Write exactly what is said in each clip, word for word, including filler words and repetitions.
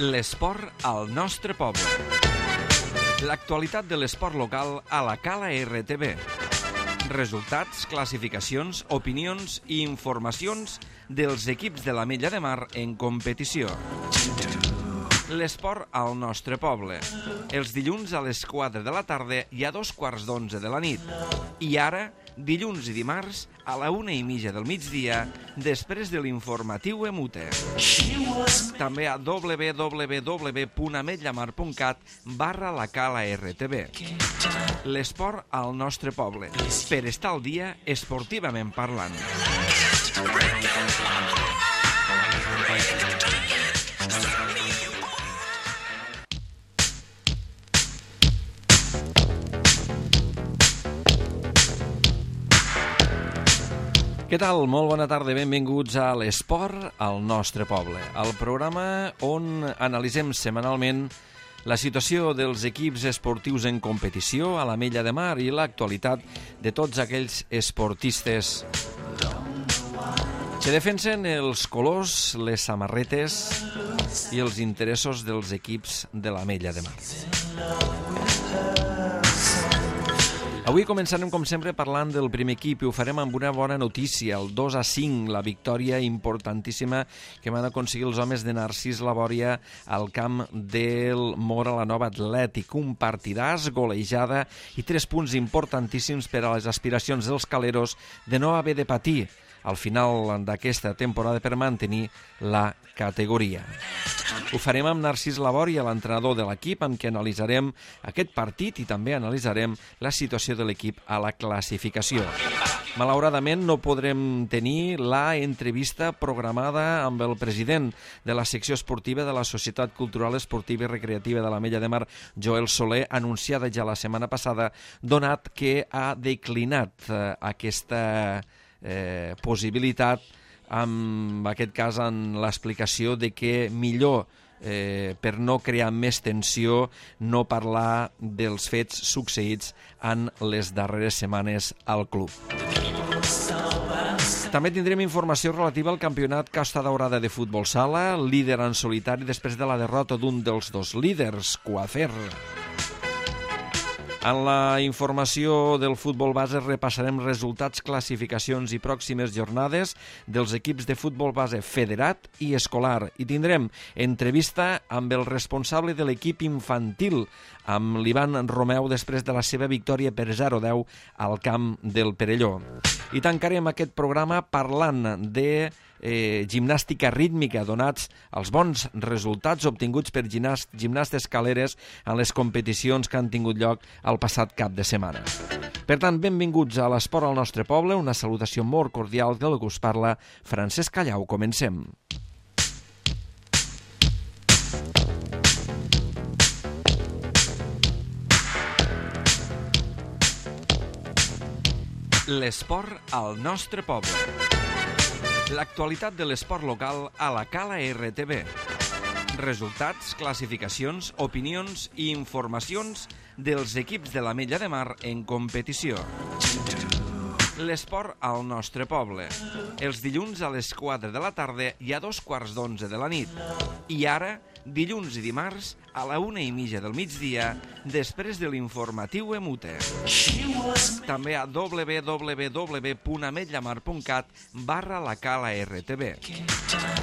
L'esport al nostre poble. L'actualitat de l'esport local a la Cala R T V. Resultats, classificacions, opinions i informacions dels equips de l'Ametlla de Mar en competició. L'esport al nostre poble. Els dilluns a les quatre de la tarda i a dos quarts d'onze de la nit. I ara, dilluns i dimarts, a la una i mitja del migdia, després de l'informatiu Emute. També a w w w punt ametlamar punt cat barra la Cala R T V. L'esport al nostre poble. Per estar al dia, esportivament parlant. Què tal? Molt bona tarda, benvinguts a l'Esport al nostre poble, el programa on analitzem setmanalment la situació dels equips esportius en competició a l'Ametlla de Mar i l'actualitat de tots aquells esportistes que defensen els colors, les samarretes i els interessos dels equips de l'Ametlla de Mar. Avui començarem, com sempre, parlant del primer equip i ho farem amb una bona notícia, el dos a cinc, la victòria importantíssima que van aconseguir els homes de Narcís Labòria al camp del Móra la Nova Atlètic. Un partidàs, golejada i tres punts importantíssims per a les aspiracions dels caleros de no haver de patir al final d'aquesta temporada per mantenir la categoria. Ho farem amb Narcís Labòria, l'entrenador de l'equip, amb qui analitzarem aquest partit i també analitzarem la situació de l'equip a la classificació. Malauradament no podrem tenir la entrevista programada amb el president de la secció esportiva de la Societat Cultural Esportiva i Recreativa de l'Ametlla de Mar, Joel Soler, anunciada ja la setmana passada, donat que ha declinat eh, aquesta eh, possibilitat, en aquest cas en l'explicació de que millor, eh, per no crear més tensió, no parlar dels fets succeïts en les darreres setmanes al club. També tindrem informació relativa al campionat Costa Daurada de futbol sala, líder en solitari després de la derrota d'un dels dos líders, Coafer. En la informació del futbol base repassarem resultats, classificacions i pròximes jornades dels equips de futbol base federat i escolar. I tindrem entrevista amb el responsable de l'equip infantil, amb l'Ivan Romeu, després de la seva victòria per zero a deu al camp del Perelló. I tancarem aquest programa parlant de eh, gimnàstica rítmica, donats els bons resultats obtinguts per gimnast, gimnastes caleres en les competicions que han tingut lloc el passat cap de setmana. Per tant, benvinguts a l'Esport al nostre poble, una salutació molt cordial del que us parla Francesc Callau. Comencem. L'esport al nostre poble. L'actualitat de l'esport local a la Cala R T V. Resultats, classificacions, opinions i informacions dels equips de l'Ametlla de Mar en competició. L'esport al nostre poble. Els dilluns a les quatre de la tarda i a dos quarts d'onze de la nit. I ara, dilluns i dimarts, a la una i mitja del migdia, després de l'informatiu Emute. També a w w w punt ametlamar punt cat barra la Cala R T V.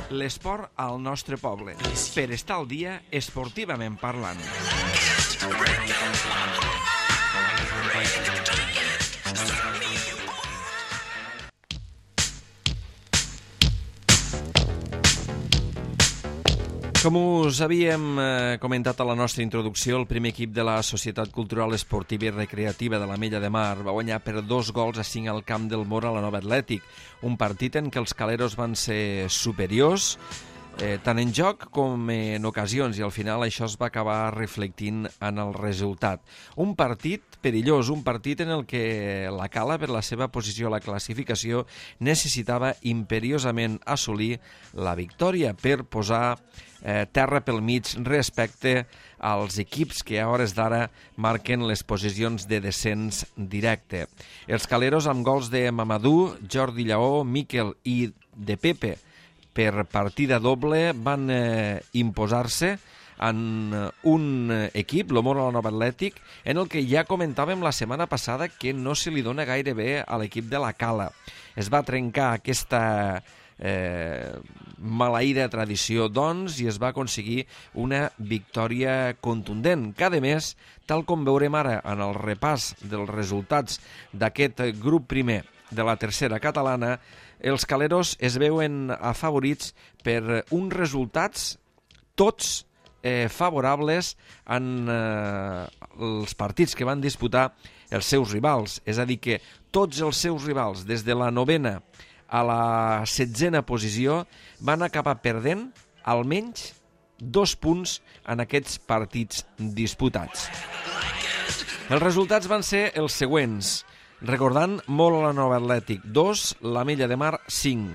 L'esport al nostre poble. Per estar al dia, esportivament parlant. Com us havíem eh, comentat a la nostra introducció, el primer equip de la Societat Cultural Esportiva i Recreativa de l'Ametlla de Mar va guanyar per dos gols a cinc al camp del Móra la Nova Atlètic, un partit en què els caleros van ser superiors, eh, tant en joc com en ocasions, i al final això es va acabar reflectint en el resultat. Un partit perillós, un partit en el que la Cala, per la seva posició a la classificació, necessitava imperiosament assolir la victòria per posar eh, terra pel mig respecte als equips que a hores d'ara marquen les posicions de descens directe. Els caleros amb gols de Mamadou, Jordi Lleó, Miquel i de Pepe per partida doble van eh, imposar-se en un equip, el Móra la Nova Atlètic, en el que ja comentàvem la setmana passada que no se li dona gaire bé a l'equip de la Cala. Es va trencar aquesta eh, maleïda tradició, doncs, i es va aconseguir una victòria contundent, que, a més, tal com veurem ara en el repàs dels resultats d'aquest grup primer de la tercera catalana, els caleros es veuen afavorits per uns resultats tots eh, favorables en eh, els partits que van disputar els seus rivals. És a dir, que tots els seus rivals, des de la novena a la setzena posició, van acabar perdent almenys dos punts en aquests partits disputats. Els resultats van ser els següents. Recordant, Móra la Nova Atlètic dos, l'Ametlla de Mar cinc,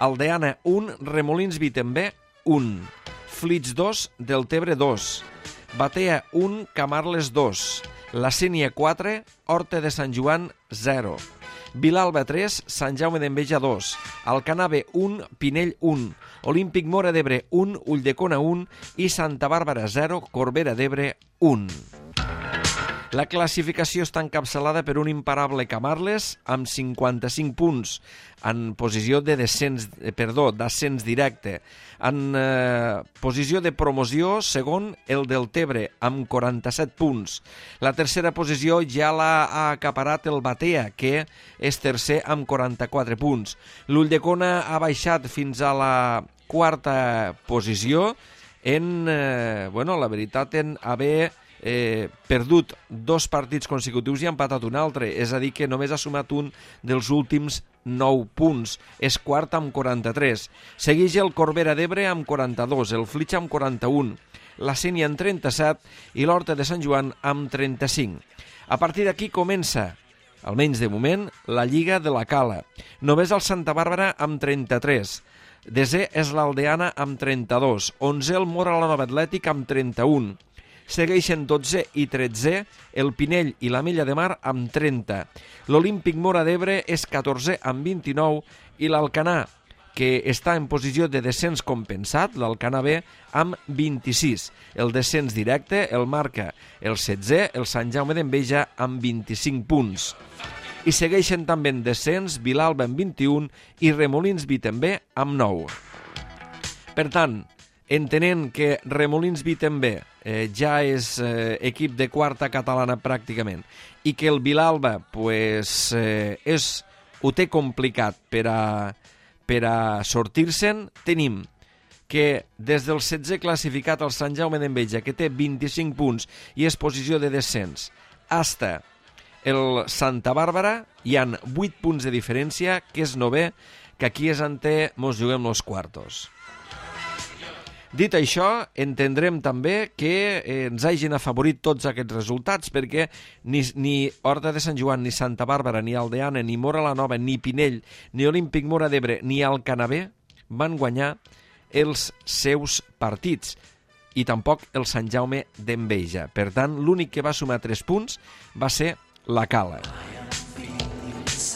Aldeana un, Remolins Vitembé un, Flix dos, Deltebre dos, Batea un, Camarles dos, La Sénia quatre, Horta de Sant Joan zero, Vilalba tres, Sant Jaume d'Enveja dos, Alcanar B un, Pinell un, Olímpic Móra d'Ebre un, Ulldecona un i Santa Bàrbara zero, Corbera d'Ebre un. La classificació està encapçalada per un imparable Camarles amb cinquanta-cinc punts en posició de descens, eh, perdó, d'ascens directe. En eh, posició de promoció, segon, el Deltebre, amb quaranta-set punts. La tercera posició ja l'ha acaparat el Batea, que és tercer amb quaranta-quatre punts. L'Ulldecona ha baixat fins a la quarta posició en, eh, bueno, la veritat, en haver Eh, perdut dos partits consecutius i ha empatat un altre, és a dir que només ha sumat un dels últims nou punts, és quart amb quaranta-tres. Segueix el Corbera d'Ebre amb quaranta-dos, el Flix amb quaranta-un, la Sénia amb trenta-set i l'Horta de Sant Joan amb trenta-cinc. A partir d'aquí comença, almenys de moment, la Lliga de la Cala. Només el Santa Bàrbara amb trenta-tres. Desè és l'Aldeana amb trenta-dos. Onzè el Móra la Nova Atlètic amb trenta-un. Segueixen dotzè i tretzè el Pinell i l'Ametlla de Mar amb trenta. L'Olímpic Móra d'Ebre és catorzè amb vint-i-nou i l'Alcanar, que està en posició de descens compensat, l'Alcanar B, amb vint-i-sis. El descens directe el marca el setzè, el Sant Jaume d'Enveja, amb vint-i-cinc punts. I segueixen també en descens Vilalba amb vint-i-un i Remolins Vitembé amb nou. Per tant, entenent que Remolins Vitembé eh, ja és eh, equip de quarta catalana pràcticament i que el Vilalba pues, eh, és, ho té complicat per a, per a sortir-se'n, tenim que des del setzè classificat el Sant Jaume d'Enveja, que té vint-i-cinc punts i és posició de descens, hasta el Santa Bàrbara hi han vuit punts de diferència, que és novè, que aquí és on mos juguem los quartos. Dit això, entendrem també que eh, ens hagin afavorit tots aquests resultats, perquè ni, ni Horta de Sant Joan, ni Santa Bàrbara, ni Aldeana, ni Móra la Nova, ni Pinell, ni Olímpic Móra d'Ebre, ni Alcanar B van guanyar els seus partits, i tampoc el Sant Jaume d'Enveja. Per tant, l'únic que va sumar tres punts va ser la Cala.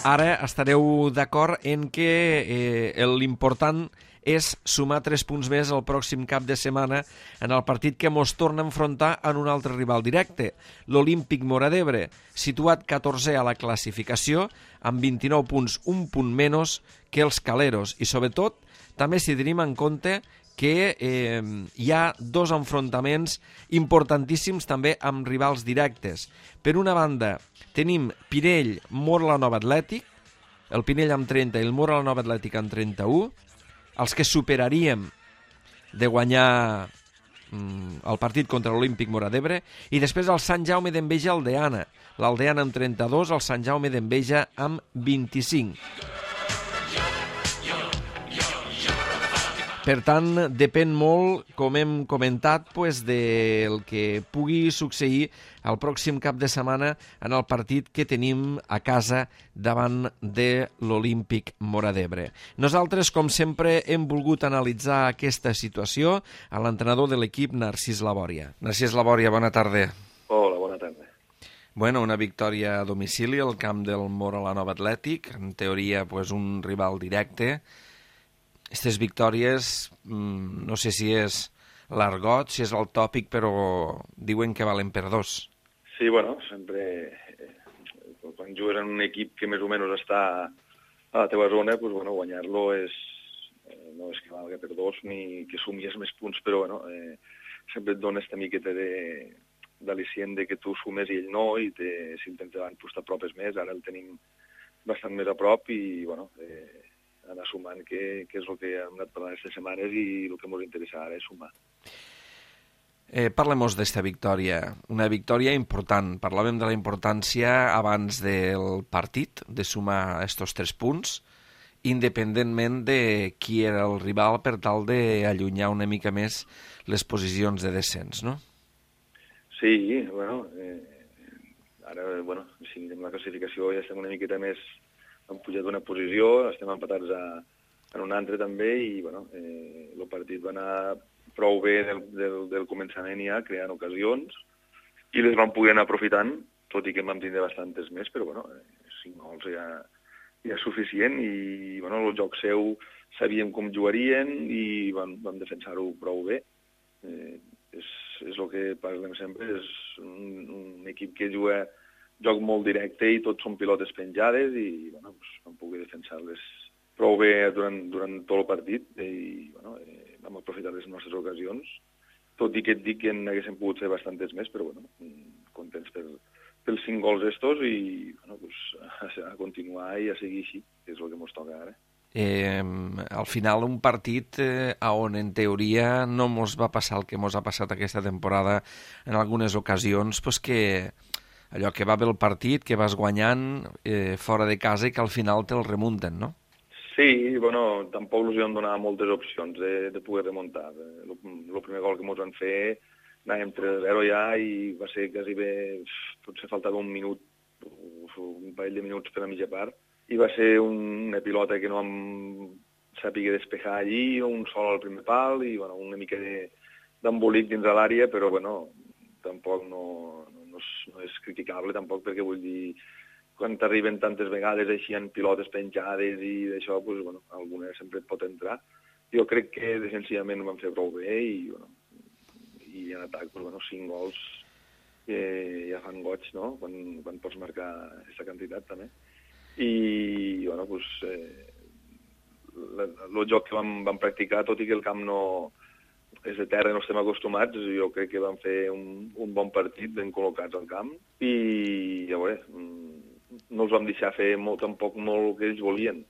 Ara estareu d'acord en que eh, l'important és sumar tres punts més el pròxim cap de setmana en el partit que mos torna a enfrontar en un altre rival directe, l'Olímpic Móra d'Ebre, situat catorzè a la classificació, amb vint-i-nou punts, un punt menys que els caleros. I sobretot, també si tenim en compte que eh, hi ha dos enfrontaments importantíssims també amb rivals directes. Per una banda, tenim Pinell, Móra la Nova Atlètic, el Pinell amb trenta i el Móra la Nova Atlètic amb trenta-u, els que superaríem de guanyar mm, el partit contra l'Olímpic Móra d'Ebre, i després el Sant Jaume d'Enveja Aldeana, l'Aldeana amb trenta-dos, el Sant Jaume d'Enveja amb vint-i-cinc. Per tant, depèn molt, com hem comentat, pues, del que pugui succeir el pròxim cap de setmana en el partit que tenim a casa davant de l'Olímpic Móra d'Ebre. Nosaltres, com sempre, hem volgut analitzar aquesta situació a l'entrenador de l'equip, Narcís Labòria. Narcís Labòria, bona tarda. Hola, bona tarda. Bueno, una victòria a domicili al camp del Móra la Nova Atlètic, en teoria pues, un rival directe. Aquestes victòries, mmm, no sé si és l'argot, si és el tòpic, però diuen que valen per dos. Sí, bueno, sempre... Eh, quan jugues en un equip que més o menys està a la teva zona, pues, bueno, guanyar-lo és... Eh, no és que valga per dos ni que sumies més punts, però bueno, eh, sempre et dona esta miqueta de d'al·licient de que tu sumes i ell no, i te, si el tens davant pues, t'apropes més. Ara el tenim bastant més a prop i, bueno, eh, anar sumant, que, que és el que hem anat parlant aquestes setmanes i el que ens interessa ara és sumar. Eh, Parlem-nos d'esta victòria, una victòria important. Parlàvem de la importància abans del partit, de sumar estos tres punts, independentment de qui era el rival, per tal d'allunyar una mica més les posicions de descens, no? Sí, bueno, eh, ara, bueno, si mirem la classificació ja estem una miqueta més, hem pujat una posició, estem empatats a, en un altre també, i bueno, eh, el partit va anar prou bé del, del, del començament ja, creant ocasions, i les vam poder anar aprofitant, tot i que en vam tindre bastantes més, però bueno, eh, cinc gols ja, ja és suficient, i bueno, el joc seu sabíem com jugarien i vam, vam defensar-ho prou bé. Eh, és, és el que parlem sempre, és un, un equip que juga joc molt directe i tots són pilotes penjades i bueno, pues, vam poder defensar-les prou bé durant, durant tot el partit i bueno, eh, vam aprofitar les nostres ocasions, tot i que et dic que n'haguéssim pogut fer bastantes més, però bueno, contents per, pels cinc gols estos i bueno, pues, a, a continuar i a seguir així, que és el que ens toca ara. Eh, al final un partit eh, on en teoria no mos va passar el que mos ha passat aquesta temporada en algunes ocasions, pues que allò que va bé el partit, que vas guanyant eh, fora de casa i que al final te'l remunten, no? Sí, bueno, tampoc els vam donar moltes opcions de, de poder remuntar. El, el primer gol que ens van fer anàvem tres a zero ja i va ser quasi bé, potser faltava un minut, un parell de minuts per a mitja part, i va ser una pilota que no vam saber despejar allí, un sol al primer pal i bueno, una mica d'embolic dins de l'àrea, però bueno, tampoc no, no, és, no és criticable tampoc, perquè vull dir, quan t'arriben tantes vegades així en pilotes penjades i d'això, pues, bueno, alguna sempre et pot entrar. Jo crec que defensivament ho vam fer prou bé i, bueno, i en atac, pues, bueno, cinc gols que ja fan goig, no?, quan, quan pots marcar aquesta quantitat també. I, bueno, pues, eh, el joc que vam, vam practicar, tot i que el camp no és de terra, no estem acostumats, jo crec que vam fer un, un bon partit, ben col·locats al camp, i, ja veure, no els vam deixar fer molt, tampoc molt el que ells volien,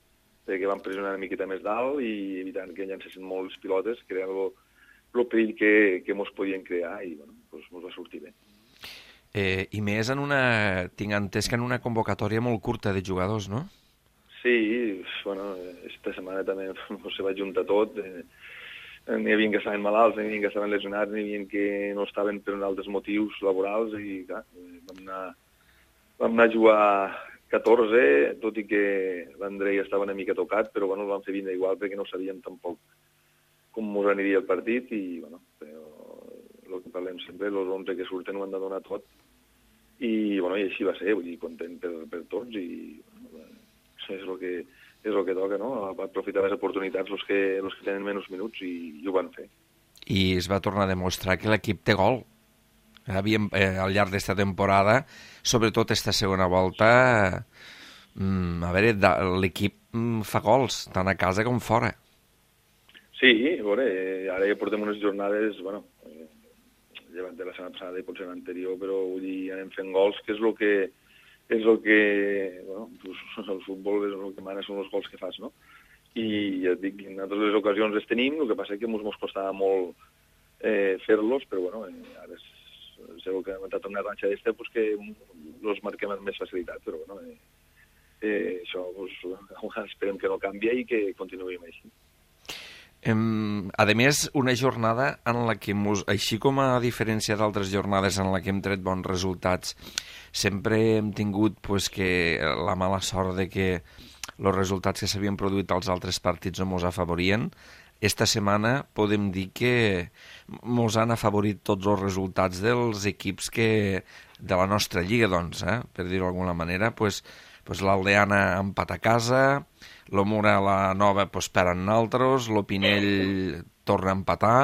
perquè vam pressionar una miqueta més dalt i evitant que llancessin molt les pilotes, creant el perill que, que mos podien crear, i, bueno, pues, mos va sortir bé. Eh, I més en una... tinc entès que en una convocatòria molt curta de jugadors, no? Sí, bueno, esta setmana també se va juntar tot. Eh, n'hi havia que estaven malalts, n'hi havia que estaven lesionats, n'hi havia que no estaven per altres motius laborals i clar, vam anar, vam anar a jugar catorze, tot i que l'Andrei estava una mica tocat, però bueno, el vam fer vindre igual perquè no sabíem tampoc com ens aniria el partit i bueno, però el que parlem sempre, els onze que surten ho han de donar tot. I, bueno, i així va ser, vull dir, content per, per tots i bueno, és el que, és el que toca, no? Aprofitar les oportunitats els que, els que tenen menys minuts i, i ho van fer. I es va tornar a demostrar que l'equip té gol. Havíem, eh, al llarg d'esta temporada, sobretot esta segona volta, eh, a veure, l'equip fa gols, tant a casa com fora. Sí, a veure, ara ja portem unes jornades, bueno, llevat de la setmana passada i potser l'anterior, però vull dir, anem fent gols, que és el que, és el que, bueno, el futbol és el que mana, són els gols que fas, no? I ja et dic, en totes les ocasions les tenim, el que passa és que ens costava molt eh, fer-los, però bueno, eh, ara és, segur que hem entrat una ratxa d'este, pues que els marquem amb més facilitat, però bueno, eh, eh, això, pues, esperem que no canvia i que continuïm així. Um, a més, una jornada en la que, mos, així com a diferència d'altres jornades en la que hem tret bons resultats, sempre hem tingut pues, que la mala sort de que els resultats que s'havien produït als altres partits no mos afavorien. Esta setmana podem dir que mos han afavorit tots els resultats dels equips que, de la nostra lliga, doncs, eh, per dir-ho d'alguna manera, pues, pues, l'Aldeana empat a casa, l'Omura la Nova pues, perd en altres, l'Opinell torna a empatar,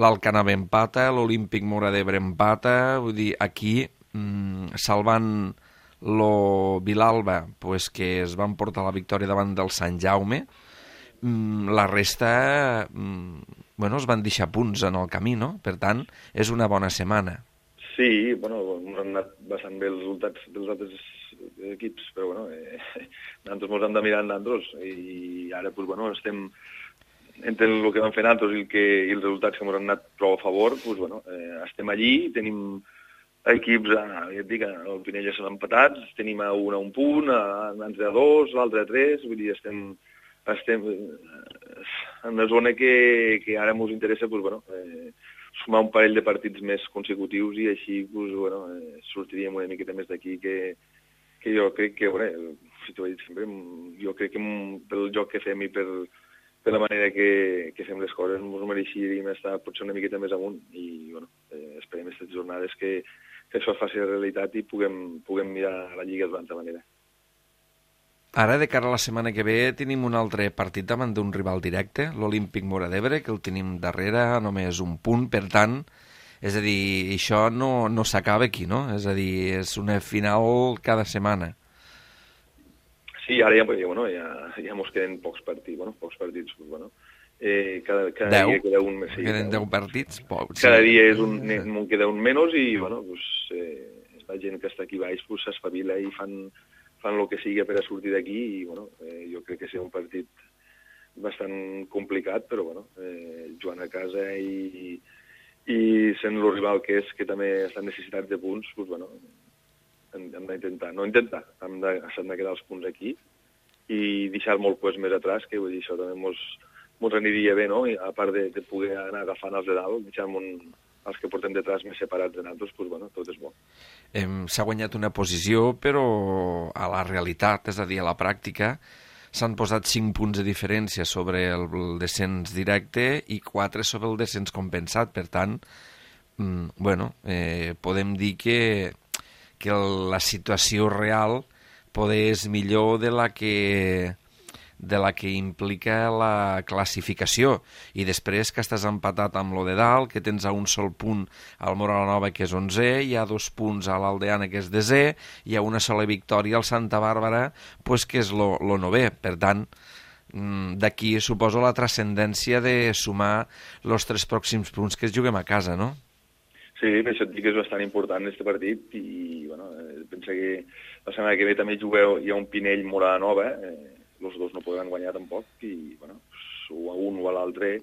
l'Alcanava empata, l'Olímpic Móra d'Ebre empata, vull dir, aquí, mmm, salvant lo Vilalba, pues, que es van portar la victòria davant del Sant Jaume, mmm, la resta, mmm, bueno, es van deixar punts en el camí, no? Per tant, és una bona setmana. Sí, bueno, ens han anat bastant bé els resultats dels altres equips, però bueno, eh, nosaltres ens hem de mirar en nosaltres, i ara, pues, bueno, estem entre el que vam fer nosaltres i, el que, i els resultats que ens han anat prou a favor, doncs, bueno, eh, estem allí, tenim equips, a, ja et dic, el Pinell ja són empatats, tenim a un a un punt, a l'altre a dos, l'altre a tres, vull dir, estem, estem en una zona que, que ara ens interessa, doncs, bueno, eh, sumar un parell de partits més consecutius i així, doncs, bueno, eh, sortiríem una miqueta més d'aquí que, que jo crec que, bueno, si t'ho he dit sempre, jo crec que pel joc que fem i per de la manera que, que fem les coses ens mereixíem estar potser una miqueta més amunt i bueno, eh, esperem aquestes jornades que, que això faci realitat i puguem, puguem mirar la Lliga d'una altra manera. Ara, de cara a la setmana que ve, tenim un altre partit davant d'un rival directe, l'Olímpic Móra d'Ebre, que el tenim darrere, només un punt, per tant, és a dir, això no, no s'acaba aquí, no? És a dir, és una final cada setmana. Sí, ara ja, bueno, ja, ja mos queden pocs partits, bueno, pocs partits, pues, bueno, eh, cada, cada deu? dia queda un més. Sí, queden deu partits? Poc, cada sí. dia és un, un queda un menys i, bueno, pues, eh, la gent que està aquí baix pues, s'espavila i fan, fan el que sigui per a sortir d'aquí i, bueno, eh, jo crec que serà un partit bastant complicat, però, bueno, eh, jugant a casa i, i sent el rival que és, que també estan necessitats de punts, pues, bueno, hem d'intentar, no intentar, hem de, s'han de quedar els punts aquí i deixar molt pues, més atrás, que vull dir, això també mos, mos aniria bé, no? I a part de, de poder anar agafant els de dalt, deixar un, els que portem detrás més separats de nosaltres, pues, bueno, tot és bo. Eh, s'ha guanyat una posició, però a la realitat, és a dir, a la pràctica, s'han posat cinc punts de diferència sobre el, el descens directe i quatre sobre el descens compensat, per tant, mm, bueno, eh, podem dir que que la situació real poder és millor de la que de la que implica la classificació i després que estàs empatat amb lo de dalt, que tens a un sol punt al Móra la Nova que és onzè, hi ha dos punts a l'Aldeana que és desè, hi ha una sola victòria al Santa Bàrbara pues, que és lo, lo novè, per tant d'aquí suposo la transcendència de sumar els tres pròxims punts que es juguem a casa, no? Sí, per això et dic que és bastant important aquest partit i, bueno, pensa que la setmana que ve també jugueu, hi ha un Pinell Móra Nova, eh, els dos no podran guanyar tampoc i, bueno, o a un o a l'altre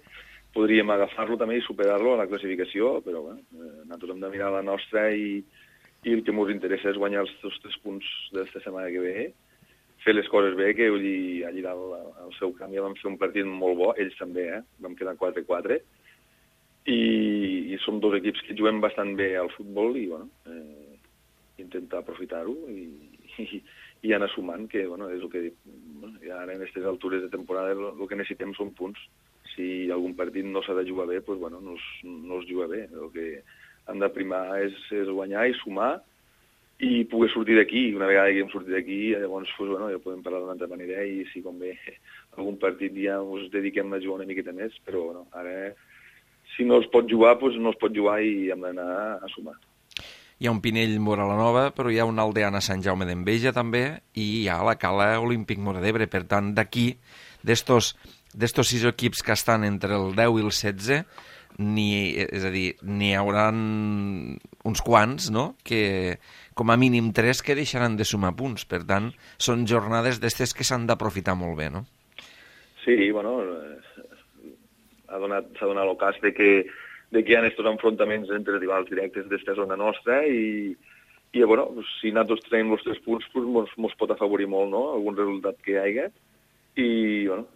podríem agafar-lo també i superar-lo a la classificació, però, bueno, eh, nosaltres hem de mirar la nostra i, i el que ens interessa és guanyar els dos tres punts d'esta setmana que ve, fer les coses bé, que allí, allí dalt, al seu camp ja vam fer un partit molt bo, ells també, eh, vam quedar quatre quatre, i, i som dos equips que juguem bastant bé al futbol i, bueno, eh, intentar aprofitar-ho i, i, i anar sumant, que, bueno, és el que dic, bueno, ja ara en aquestes altures de temporada el, el que necessitem són punts. Si algun partit no s'ha de jugar bé, doncs, bueno, no es, no es juga bé. El que hem de primar és, és guanyar i sumar i poder sortir d'aquí. Una vegada que hem sortit d'aquí, llavors, doncs, bueno, ja podem parlar d'una altra manera i si convé algun partit ja us dediquem a jugar una miqueta més, però, bueno, ara si no es pot jugar, doncs no es pot jugar i hem d'anar a sumar. Hi ha un Pinell Móra la Nova, però hi ha un Aldeana Sant Jaume d'Enveja també, i hi ha la Cala Olímpic Móra d'Ebre. Per tant, d'aquí, d'estos sis equips que estan entre el deu i el setze, ni, és a dir, n'hi haurà uns quants, no?, que com a mínim tres que deixaran de sumar punts. Per tant, són jornades d'estes que s'han d'aprofitar molt bé, no? Sí, bueno, s'ha donat, s'ha donat el cas de que, de que hi ha aquests enfrontaments entre rivals directes d'esta zona nostra i, i bueno, si nosaltres tenim els tres punts, doncs ens pot afavorir molt, no?, algun resultat que hi hagi. I, bueno,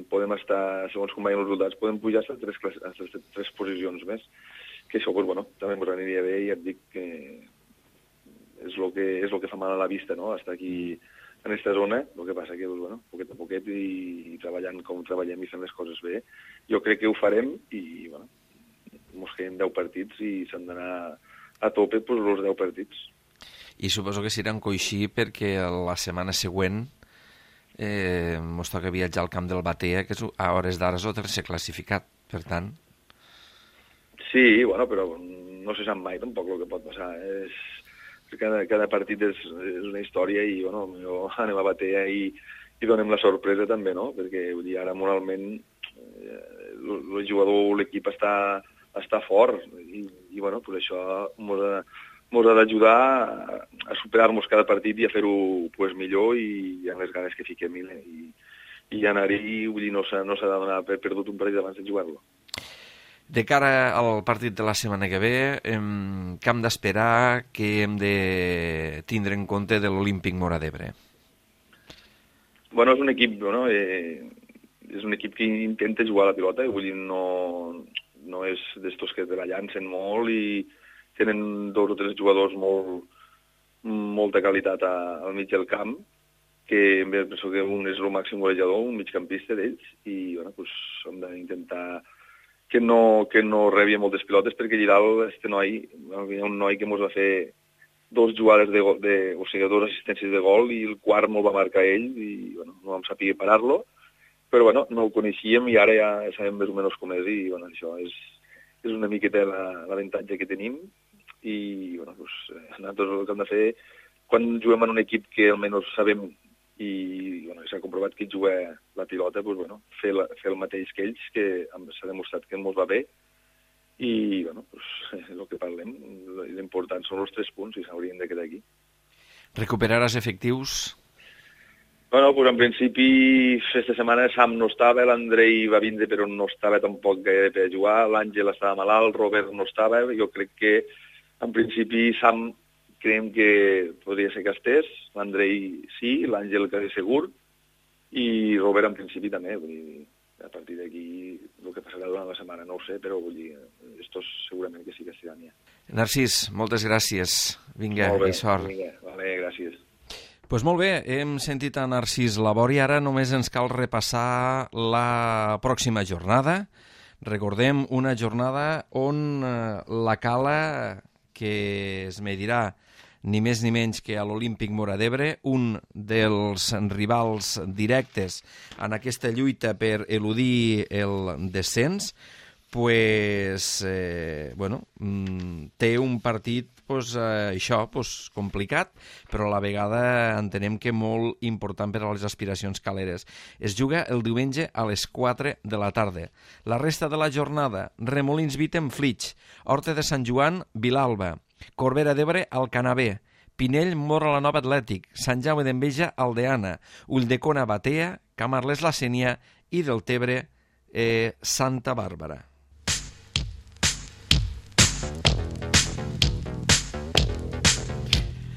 podem estar, segons com vagin els resultats, podem pujar a tres, a tres, tres posicions més. Que això, doncs, bueno, també ens aniria bé i et dic que és el que, és el que fa mal a la vista, no?, estar aquí en aquesta zona. El que passa que, doncs, bueno, poquet a poquet i, i treballant com treballem i fent les coses bé, jo crec que ho farem i, bueno, ens queden deu partits i s'han d'anar a tope doncs, els deu partits. I suposo que seran coixí perquè la setmana següent eh, mos toca viatjar al camp del Batea, que és, a hores d'ara és el tercer classificat, per tant... Sí, bueno, però no se sap mai tampoc el que pot passar. És... Cada, cada partit és, és una història i, bueno, jo anem a Batea i, i donem la sorpresa també, no? Perquè, vull dir, ara moralment eh, el jugador, l'equip està, està fort i, i bueno, pues això mos ha, mos ha d'ajudar a, a superar-nos cada partit i a fer-ho pues, millor i amb les ganes que fiquem i, i, i anar-hi, vull dir, no s'ha no de donar per perdut un partit abans de jugar-lo. De cara al partit de la setmana que ve, hem, què hem d'esperar, que hem de tindre en compte de l'Olímpic Móra d'Ebre? Bueno, és un equip, no? eh, és un equip que intenta jugar a la pilota, vull dir, no, no és d'estos que te la llancen molt i tenen dos o tres jugadors molt, molta qualitat a, al mig del camp, que penso que un és el màxim golejador, un migcampista d'ells, i bueno, pues, hem d'intentar que no, que no rebi moltes pilotes, perquè allà dalt este noi, hi ha un noi que mos va fer dos jugades de, de o sigui, dos assistències de gol i el quart me'l va marcar ell i bueno, no vam saber parar-lo, però bueno, no el coneixíem i ara ja sabem més o menys com és i bueno, això és, és una miqueta l'avantatge que tenim i bueno, pues, nosaltres el que hem de fer quan juguem en un equip que almenys sabem i bueno, s'ha comprovat que juga la pilota, pues, bueno, fer, la, fer el mateix que ells, que s'ha demostrat que ens va bé, i bueno, pues, el que parlem, l'important són els tres punts i s'haurien de quedar aquí. Recuperaràs efectius? Bueno, pues, en principi, aquesta setmana Sam no estava, l'Andrei va vindre però no estava tampoc gaire per jugar, l'Àngel estava malalt, el Robert no estava, jo crec que en principi Sam creiem que podria ser que estés, l'Andrei sí, l'Àngel quasi segur, i Robert en principi també, vull dir, a partir d'aquí el que passarà durant la setmana no ho sé, però vull dir, estos segurament que sí que estiran ja. Narcís, moltes gràcies, vinga, bé, i sort. Vinga, vale, gràcies. Pues molt bé, hem sentit a Narcís Labori, ara només ens cal repassar la pròxima jornada. Recordem una jornada on la Cala, que es medirà ni més ni menys que a l'Olímpic Móra d'Ebre, un dels rivals directes en aquesta lluita per eludir el descens, pues, eh, bueno, té un partit pues, eh, això, pues, complicat, però a la vegada entenem que molt important per a les aspiracions caleres. Es juga el diumenge a les quatre de la tarda. La resta de la jornada, Remolins Vitem Flix, Horta de Sant Joan, Vilalba, Corbera d'Ebre, Alcanabé, Pinell, Móra la Nova Atlètic, Sant Jaume d'Enveja, Aldeana, Ulldecona, Batea, Camarles, la Sénia i Deltebre, eh, Santa Bàrbara.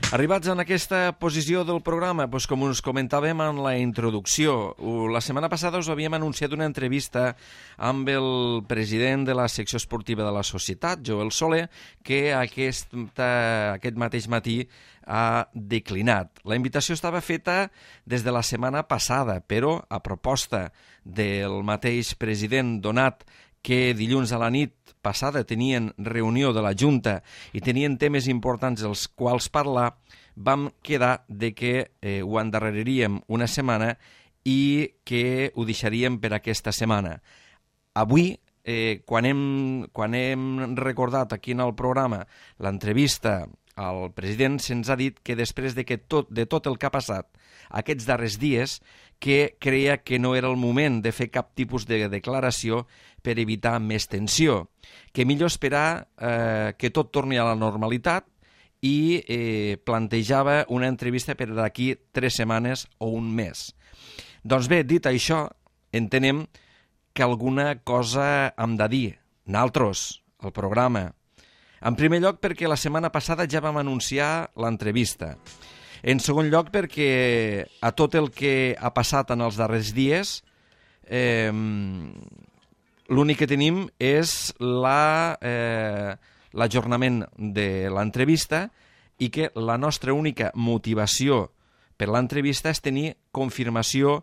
Arribats en aquesta posició del programa, doncs com us comentàvem en la introducció, la setmana passada us havíem anunciat una entrevista amb el president de la secció esportiva de la societat, Joel Soler, que aquest, aquest mateix matí ha declinat. La invitació estava feta des de la setmana passada, però a proposta del mateix president Donat, que dilluns a la nit passada tenien reunió de la Junta i tenien temes importants dels quals parlar, vam quedar de que eh, ho endarreriríem una setmana i que ho deixaríem per aquesta setmana. Avui, eh, quan, hem, quan hem recordat aquí en el programa l'entrevista al president, se'ns ha dit que després de, que tot, de tot el que ha passat aquests darrers dies, que creia que no era el moment de fer cap tipus de declaració per evitar més tensió, que millor esperar eh, que tot torni a la normalitat i eh, plantejava una entrevista per d'aquí tres setmanes o un mes. Doncs bé, dit això, entenem que alguna cosa hem de dir, nosaltres, el programa. En primer lloc perquè la setmana passada ja vam anunciar l'entrevista. En segon lloc perquè a tot el que ha passat en els darrers dies eh, l'únic que tenim és la, eh, l'ajornament de l'entrevista i que la nostra única motivació per l'entrevista és tenir confirmació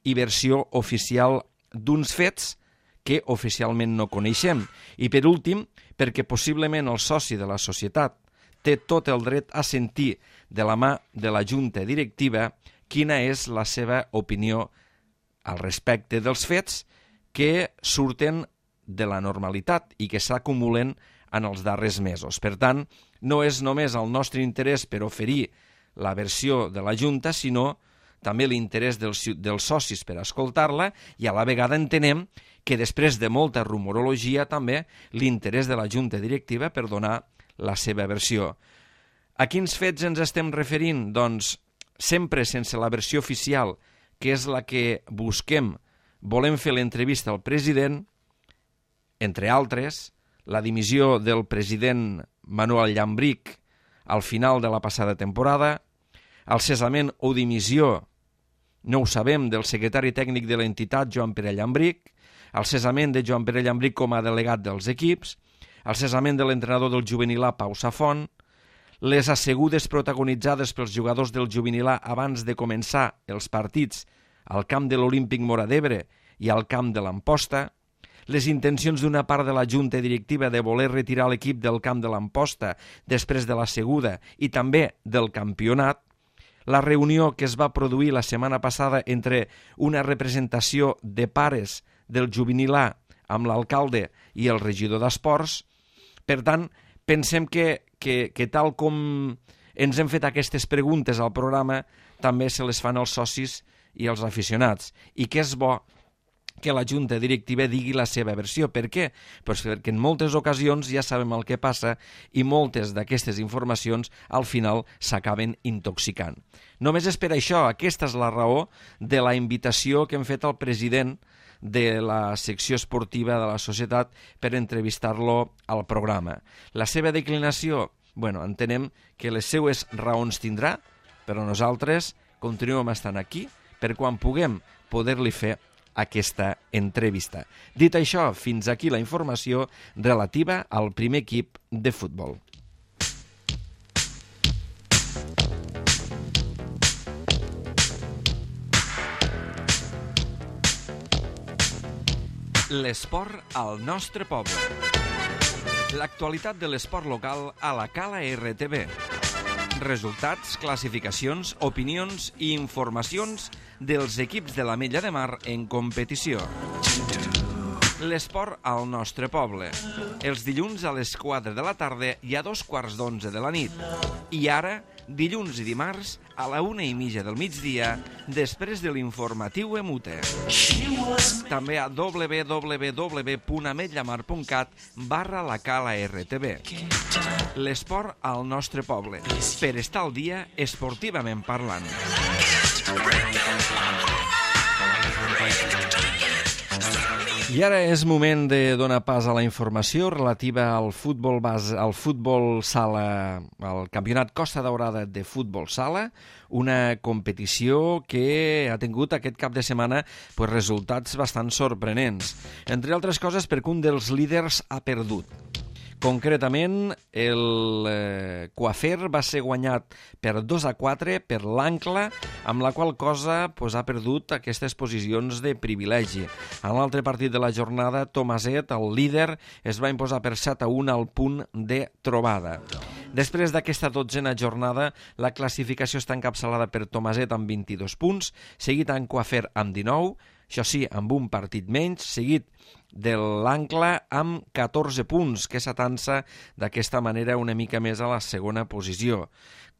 i versió oficial d'uns fets que oficialment no coneixem. I per últim, perquè possiblement el soci de la societat té tot el dret a sentir de la mà de la Junta Directiva quina és la seva opinió al respecte dels fets que surten de la normalitat i que s'acumulen en els darrers mesos. Per tant, no és només el nostre interès per oferir la versió de la Junta, sinó també l'interès dels, dels socis per escoltar-la, i a la vegada entenem que després de molta rumorologia també l'interès de la Junta Directiva per donar la seva versió. A quins fets ens estem referint? Doncs sempre sense la versió oficial, que és la que busquem, volem fer l'entrevista al president, entre altres, la dimissió del president Manuel Llambrich al final de la passada temporada, el cessament o dimissió, no ho sabem, del secretari tècnic de l'entitat, Joan Pere Llambrich, el cessament de Joan Pere Llambrich com a delegat dels equips, el cessament de l'entrenador del juvenil A, Pau Safont, les assegudes protagonitzades pels jugadors del juvenil A abans de començar els partits al camp de l'Olímpic Móra d'Ebre i al camp de l'Amposta, les intencions d'una part de la Junta Directiva de voler retirar l'equip del camp de l'Amposta després de l'asseguda i també del campionat, la reunió que es va produir la setmana passada entre una representació de pares del juvenil A amb l'alcalde i el regidor d'Esports. Per tant, pensem que, que, que tal com ens hem fet aquestes preguntes al programa, també se les fan els socis i els aficionats, i que és bo que la Junta Directiva digui la seva versió. Per què? Pues perquè en moltes ocasions ja sabem el que passa i moltes d'aquestes informacions al final s'acaben intoxicant. Només és per això, aquesta és la raó de la invitació que hem fet al president de la secció esportiva de la societat per entrevistar-lo al programa. La seva declinació, bueno, entenem que les seues raons tindrà, però nosaltres continuem estant aquí per quan puguem poder-li fer aquesta entrevista. Dit això, fins aquí la informació relativa al primer equip de futbol. L'esport al nostre poble. L'actualitat de l'esport local a la Cala R T V. Resultats, classificacions, opinions i informacions dels equips de l'Ametlla de Mar en competició. L'esport al nostre poble. Els dilluns a les quatre de la tarda i a dos quarts d'onze de la nit. I ara, dilluns i dimarts, a la una i mitja del migdia, després de l'informatiu Emute. També a w w w punt ametllamar punt cat barra la Cala R T V. L'esport al nostre poble, per estar al dia esportivament parlant. I ara és moment de donar pas a la informació relativa al futbol base, al futbol sala, al Campionat Costa Daurada de futbol sala, una competició que ha tingut aquest cap de setmana pues, resultats bastant sorprenents. Entre altres coses perquè un dels líders ha perdut. Concretament, el eh, Coafer va ser guanyat per dos a quatre per l'Ancla, amb la qual cosa pues, ha perdut aquestes posicions de privilegi. En l'altre partit de la jornada, Tomaset, el líder, es va imposar per set a un al punt de trobada. Després d'aquesta dotzena jornada, la classificació està encapçalada per Tomaset amb vint-i-dos punts, seguit en Coafer amb dinou, això sí, amb un partit menys, seguit de l'Ancla amb catorze punts, que s'atansa d'aquesta manera una mica més a la segona posició.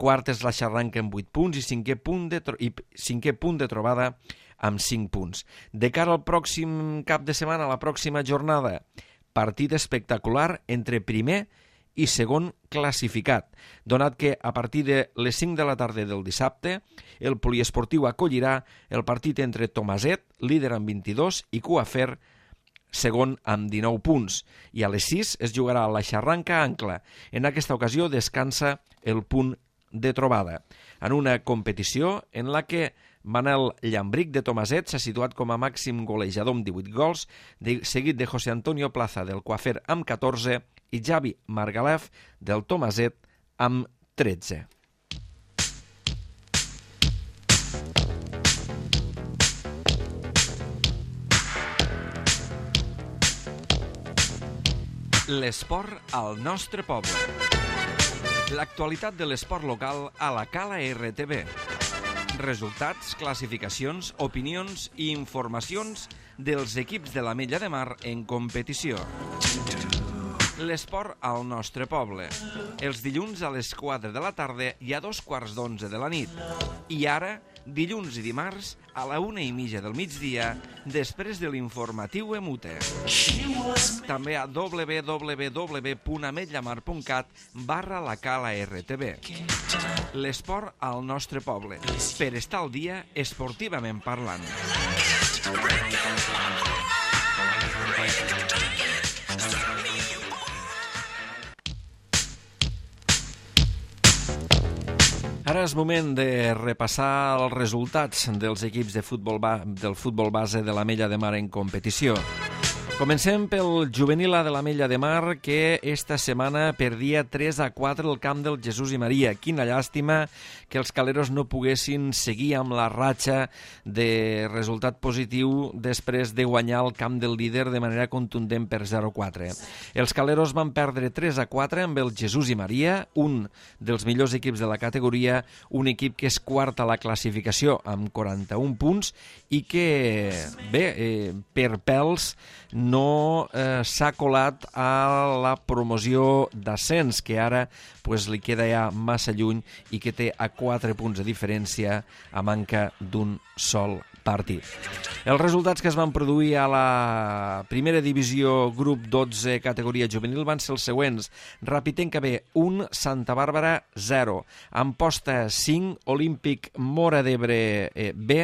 Quart és la Xarranca amb vuit punts i cinquè punt de, tro- i cinquè punt de trobada amb cinc punts. De cara al pròxim cap de setmana, a la pròxima jornada, partit espectacular entre primer i segon classificat, donat que a partir de les cinc de la tarda del dissabte el poliesportiu acollirà el partit entre Tomaset, líder amb vint-i-dos, i Coafer, segon amb dinou punts, i a les sis es jugarà la Xarranca-Ancla. En aquesta ocasió descansa el punt de trobada, en una competició en la que Manel Llambrich de Tomaset s'ha situat com a màxim golejador amb divuit gols, de, seguit de José Antonio Plaza del Coafer amb catorze i Javi Margalef del Tomaset amb tretze. L'esport al nostre poble. L'actualitat de l'esport local a la Cala R T V. Resultats, classificacions, opinions i informacions dels equips de l'Ametlla de Mar en competició. L'esport al nostre poble. Els dilluns a les quatre de la tarda i a dos quarts d'onze de la nit. I ara, dilluns i dimarts, a la una i mitja del migdia, després de l'informatiu Emute. També a w w w punt ametllamar punt cat barra la Cala R T V. L'esport al nostre poble, per estar al dia esportivament parlant. Ara és moment de repassar els resultats dels equips de futbol ba- del futbol base de l'Ametlla de Mar en competició. Comencem pel juvenil A de l'Ametlla de Mar, que esta setmana perdia tres a quatre el camp del Jesús i Maria. Quina llàstima que els caleros no poguessin seguir amb la ratxa de resultat positiu després de guanyar el camp del líder de manera contundent per zero a quatre. Els caleros van perdre tres a quatre amb el Jesús i Maria, un dels millors equips de la categoria, un equip que és quart a la classificació amb quaranta-un punts i que, bé, eh, per pèls no eh, s'ha colat a la promoció d'ascens, que ara pues, li queda ja massa lluny i que té a quatre punts de diferència a manca d'un sol partit. Els resultats que es van produir a la primera divisió grup dotze categoria juvenil van ser els següents. Rapitenca B, un, Santa Bàrbara, zero. Amposta, cinc, Olímpic Móra d'Ebre eh, B,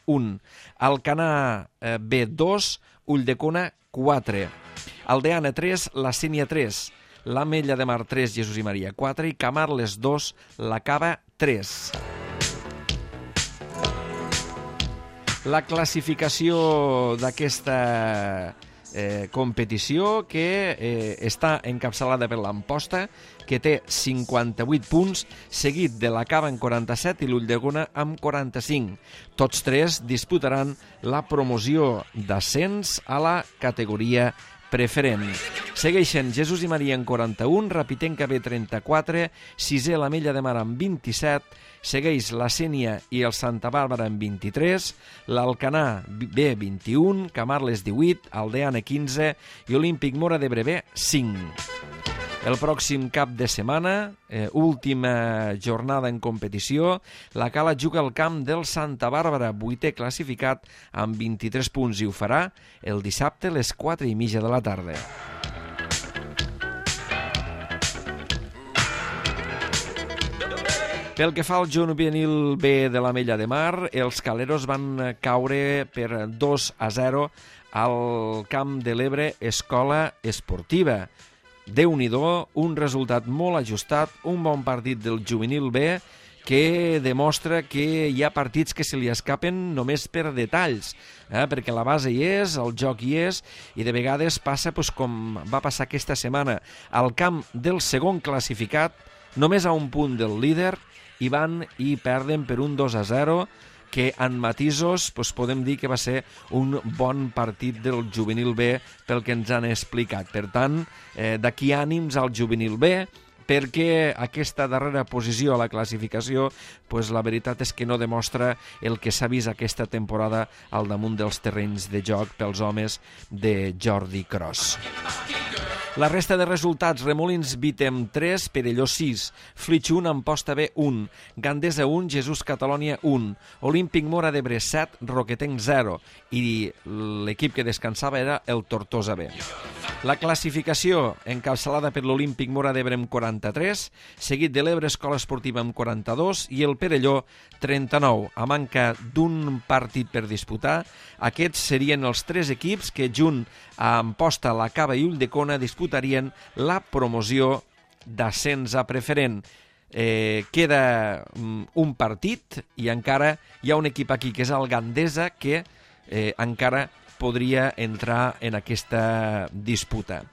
un. Alcanar eh, B, dos, Ulldecona, quatre. Aldeana, tres, La Sínia, tres. l'Ametlla de Mar, tres, Jesús i Maria, quatre. I Camarles, dos, La Cava, tres. La classificació d'aquesta eh, competició, que eh, està encapçalada per l'Amposta, que té cinquanta-vuit punts, seguit de la Cava en quaranta-set i l'Ulldecona amb quaranta-cinc. Tots tres disputaran la promoció d'ascens a la categoria preferent. Segueixen Jesús i Maria en quaranta-un, Rapitenca B trenta-quatre, sisè l'Ametlla de Mar amb vint-i-set, segueix la Sénia i el Santa Bàrbara amb vint-i-tres, l'Alcanar B vint-i-un, Camarles divuit, Aldeana quinze i Olímpic Móra d'Ebre B cinc. El pròxim cap de setmana, eh, última jornada en competició, la Cala juga al camp del Santa Bàrbara, vuitè classificat amb vint-i-tres punts, i ho farà el dissabte a les quatre i mitja de la tarda. Pel que fa al juvenil B de l'Ametlla de Mar, els caleros van caure per dos a zero al camp de l'Ebre Escola Esportiva. Déu-n'hi-do, un resultat molt ajustat, un bon partit del juvenil B que demostra que hi ha partits que se li escapen només per detalls, eh? perquè la base hi és, el joc hi és, i de vegades passa pues, com va passar aquesta setmana al camp del segon classificat, només a un punt del líder, i van i perden per un dos a zero, que en matisos doncs, podem dir que va ser un bon partit del juvenil B pel que ens han explicat. Per tant, eh, d'aquí ànims al juvenil B, perquè aquesta darrera posició a la classificació, pues, la veritat és que no demostra el que s'ha vist aquesta temporada al damunt dels terrenys de joc pels homes de Jordi Cros. La resta de resultats: Remolins Vitem tres, Perelló sis, Flix un, Amposta B un, Gandesa un, Jesús Catalònia un, Olímpic Móra d'Ebre set, Roquetenc zero, i l'equip que descansava era el Tortosa B. La classificació encapçalada per l'Olímpic Móra d'Ebre amb quaranta-tres, seguit de l'Ebre Escola Esportiva amb quaranta-dos i el Perelló trenta-nou. A manca d'un partit per disputar, aquests serien els tres equips que, junt a Amposta, La Cava i Ulldecona, disputarien la promoció d'ascens a preferent. Eh, queda um, un partit i encara hi ha un equip aquí que és el Gandesa que eh, encara podria entrar en aquesta disputa.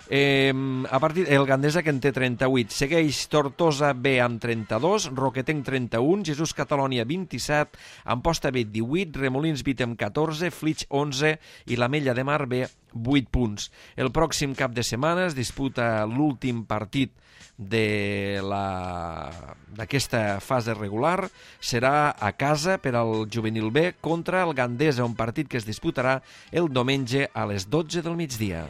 Eh, a partir el Gandesa, que en té trenta-vuit, segueix Tortosa B amb trenta-dos, Roquetenc trenta-un, Jesús Catalònia vint-i-set, Amposta B divuit, Remolins Vitem catorze, Flix onze i l'Ametlla de Mar B vuit punts. El pròxim cap de setmana es disputa l'últim partit de la d'aquesta fase regular, serà a casa per al Juvenil B contra el Gandesa, un partit que es disputarà el diumenge a les dotze del migdia.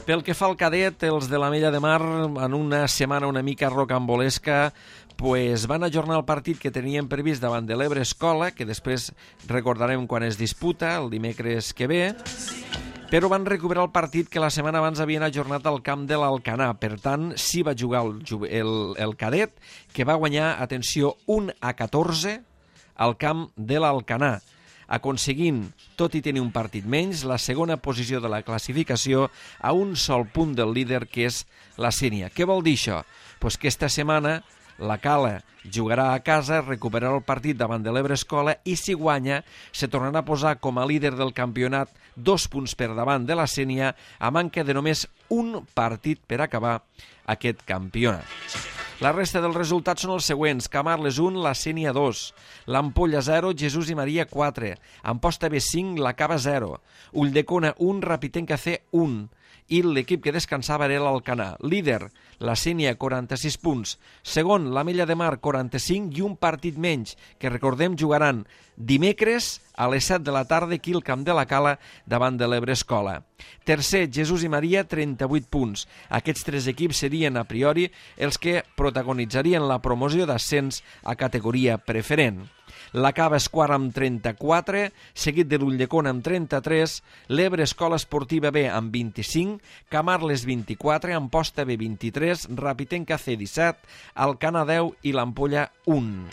Pel que fa al cadet, els de l'Ametlla de Mar, en una setmana una mica rocambolesca, pues van ajornar el partit que tenien previst davant de l'Ebre Escola, que després recordarem quan es disputa, el dimecres que ve, però van recuperar el partit que la setmana abans havien ajornat al camp de l'Alcanar. Per tant, sí va jugar el, el, el cadet, que va guanyar, atenció, un a catorze al camp de l'Alcanar, aconseguint, tot i tenir un partit menys, la segona posició de la classificació a un sol punt del líder, que és la Sénia. Què vol dir això? Pues que esta setmana la Cala jugarà a casa, recuperarà el partit davant de l'Ebre Escola i, si guanya, se tornarà a posar com a líder del campionat dos punts per davant de la Sénia, a manca de només un partit per acabar aquest campionat. La resta dels resultats són els següents: Camarles un, la Sénia dos, l'Ampolla zero, Jesús i Maria quatre, Amposta B cinc, la Cava zero, Ulldecona un, Rapitenca C un, i l'equip que descansava era l'Alcanar. Líder, la Sénia, quaranta-sis punts. Segon, l'Ametlla de Mar, quaranta-cinc, i un partit menys, que recordem jugaran dimecres a les set de la tarda aquí al Camp de la Cala davant de l'Ebre Escola. Tercer, Jesús i Maria, trenta-vuit punts. Aquests tres equips serien, a priori, els que protagonitzarien la promoció d'ascens a categoria preferent. La Cava és quart amb trenta-quatre, seguit de l'Ulldecona amb trenta-tres, l'Ebre Escola Esportiva B amb vint-i-cinc, Camarles vint-i-quatre, Amposta B vint-i-tres, Rapitenca C disset, Alcanar deu i l'Ampolla un.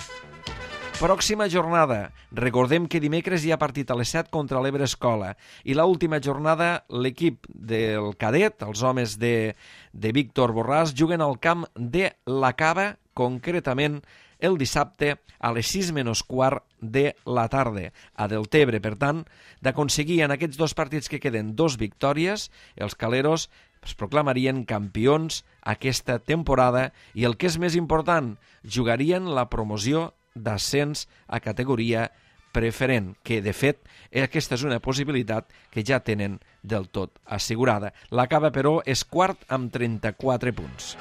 Pròxima jornada. Recordem que dimecres hi ha partit a les set contra l'Ebre Escola i l'última jornada l'equip del cadet, els homes de, de Víctor Borràs, juguen al camp de la Cava, concretament el dissabte a les sis menys quart de la tarda a Deltebre. Per tant, d'aconseguir en aquests dos partits que queden dos victòries, els caleros es proclamarien campions aquesta temporada i, el que és més important, jugarien la promoció d'ascens a categoria preferent, que de fet aquesta és una possibilitat que ja tenen del tot assegurada. La Cava, però, és quart amb trenta-quatre punts.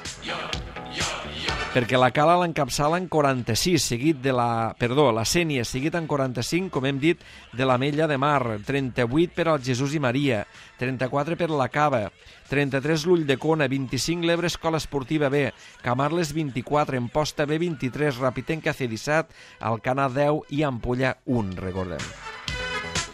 Perquè la Cala l'encapçala en quaranta-sis, seguit de la... Perdó, la Sénia, seguit en quaranta-cinc, com hem dit, de l'Ametlla de Mar, trenta-vuit per al Jesús i Maria, trenta-quatre per la Cava, trenta-tres l'Ulldecona, vint-i-cinc l'Ebre Escola Esportiva B, Camarles vint-i-quatre, Amposta B vint-i-tres, Rapitenca C disset, Alcanar deu i Ampolla un, recordem.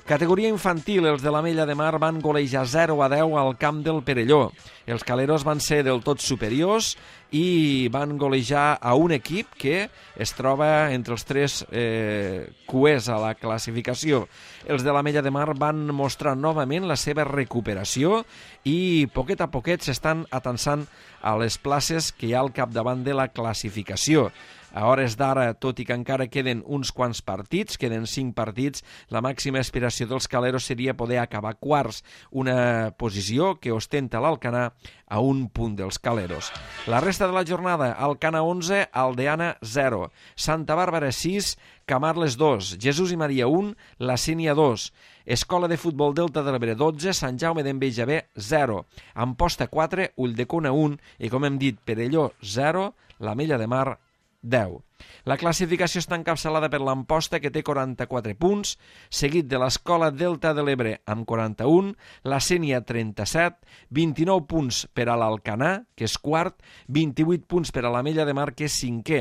Categoria infantil, els de l'Ametlla de Mar van golejar zero a deu al camp del Perelló. Els caleros van ser del tot superiors i van golejar a un equip que es troba entre els tres eh, cuers a la classificació. Els de l'Ametlla de Mar van mostrar novament la seva recuperació i poquet a poquet s'estan atansant a les places que hi ha al capdavant de la classificació. A hores d'ara, tot i que encara queden uns quants partits, queden cinc partits, la màxima aspiració dels caleros seria poder acabar quarts, una posició que ostenta l'Alcanar a un punt dels caleros. La resta de la jornada: Alcanar onze, Aldeana zero, Santa Bàrbara sis, Camarles dos, Jesús i Maria un, la Sénia dos, Escola de Futbol Delta de l'Ebre dotze, Sant Jaume d'Enveja B zero, Amposta quatre, Ulldecona un i, com hem dit, Perelló zero, l'Ametlla de Mar deu. La classificació està encapçalada per l'Amposta, que té quaranta-quatre punts, seguit de l'Escola Delta de l'Ebre amb quaranta-un, la Sénia trenta-set, vint-i-nou punts per a l'Alcanar, que és quart, vint-i-vuit punts per a l'Ametlla de Mar, que és cinquè,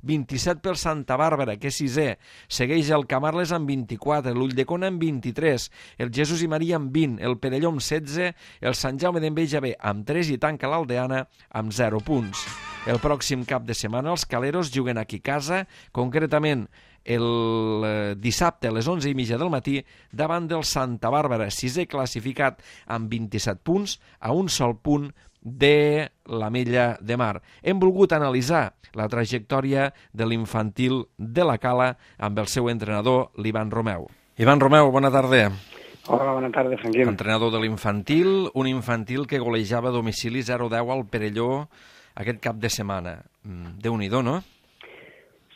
vint-i-set per Santa Bàrbara, que és sisè, segueix el Camarles amb vint-i-quatre, l'Ulldecona amb vint-i-tres, el Jesús i Maria amb vint, el Perelló amb setze, el Sant Jaume d'Enveja B amb tres i tanca l'Aldeana amb zero punts. El pròxim cap de setmana els caleros juguen aquí a casa, concretament el dissabte a les onze i mitja del matí davant del Santa Bàrbara, sisè classificat amb vint-i-set punts, a un sol punt de l'Ametlla de Mar. Hem volgut analitzar la trajectòria de l'infantil de la Cala amb el seu entrenador, l'Ivan Romeu. Ivan Romeu, bona tarda. Hola, bona tarda, Franquim. Entrenador de l'infantil, un infantil que golejava a domicili zero a deu al Perelló aquest cap de setmana. Déu-n'hi-do, no?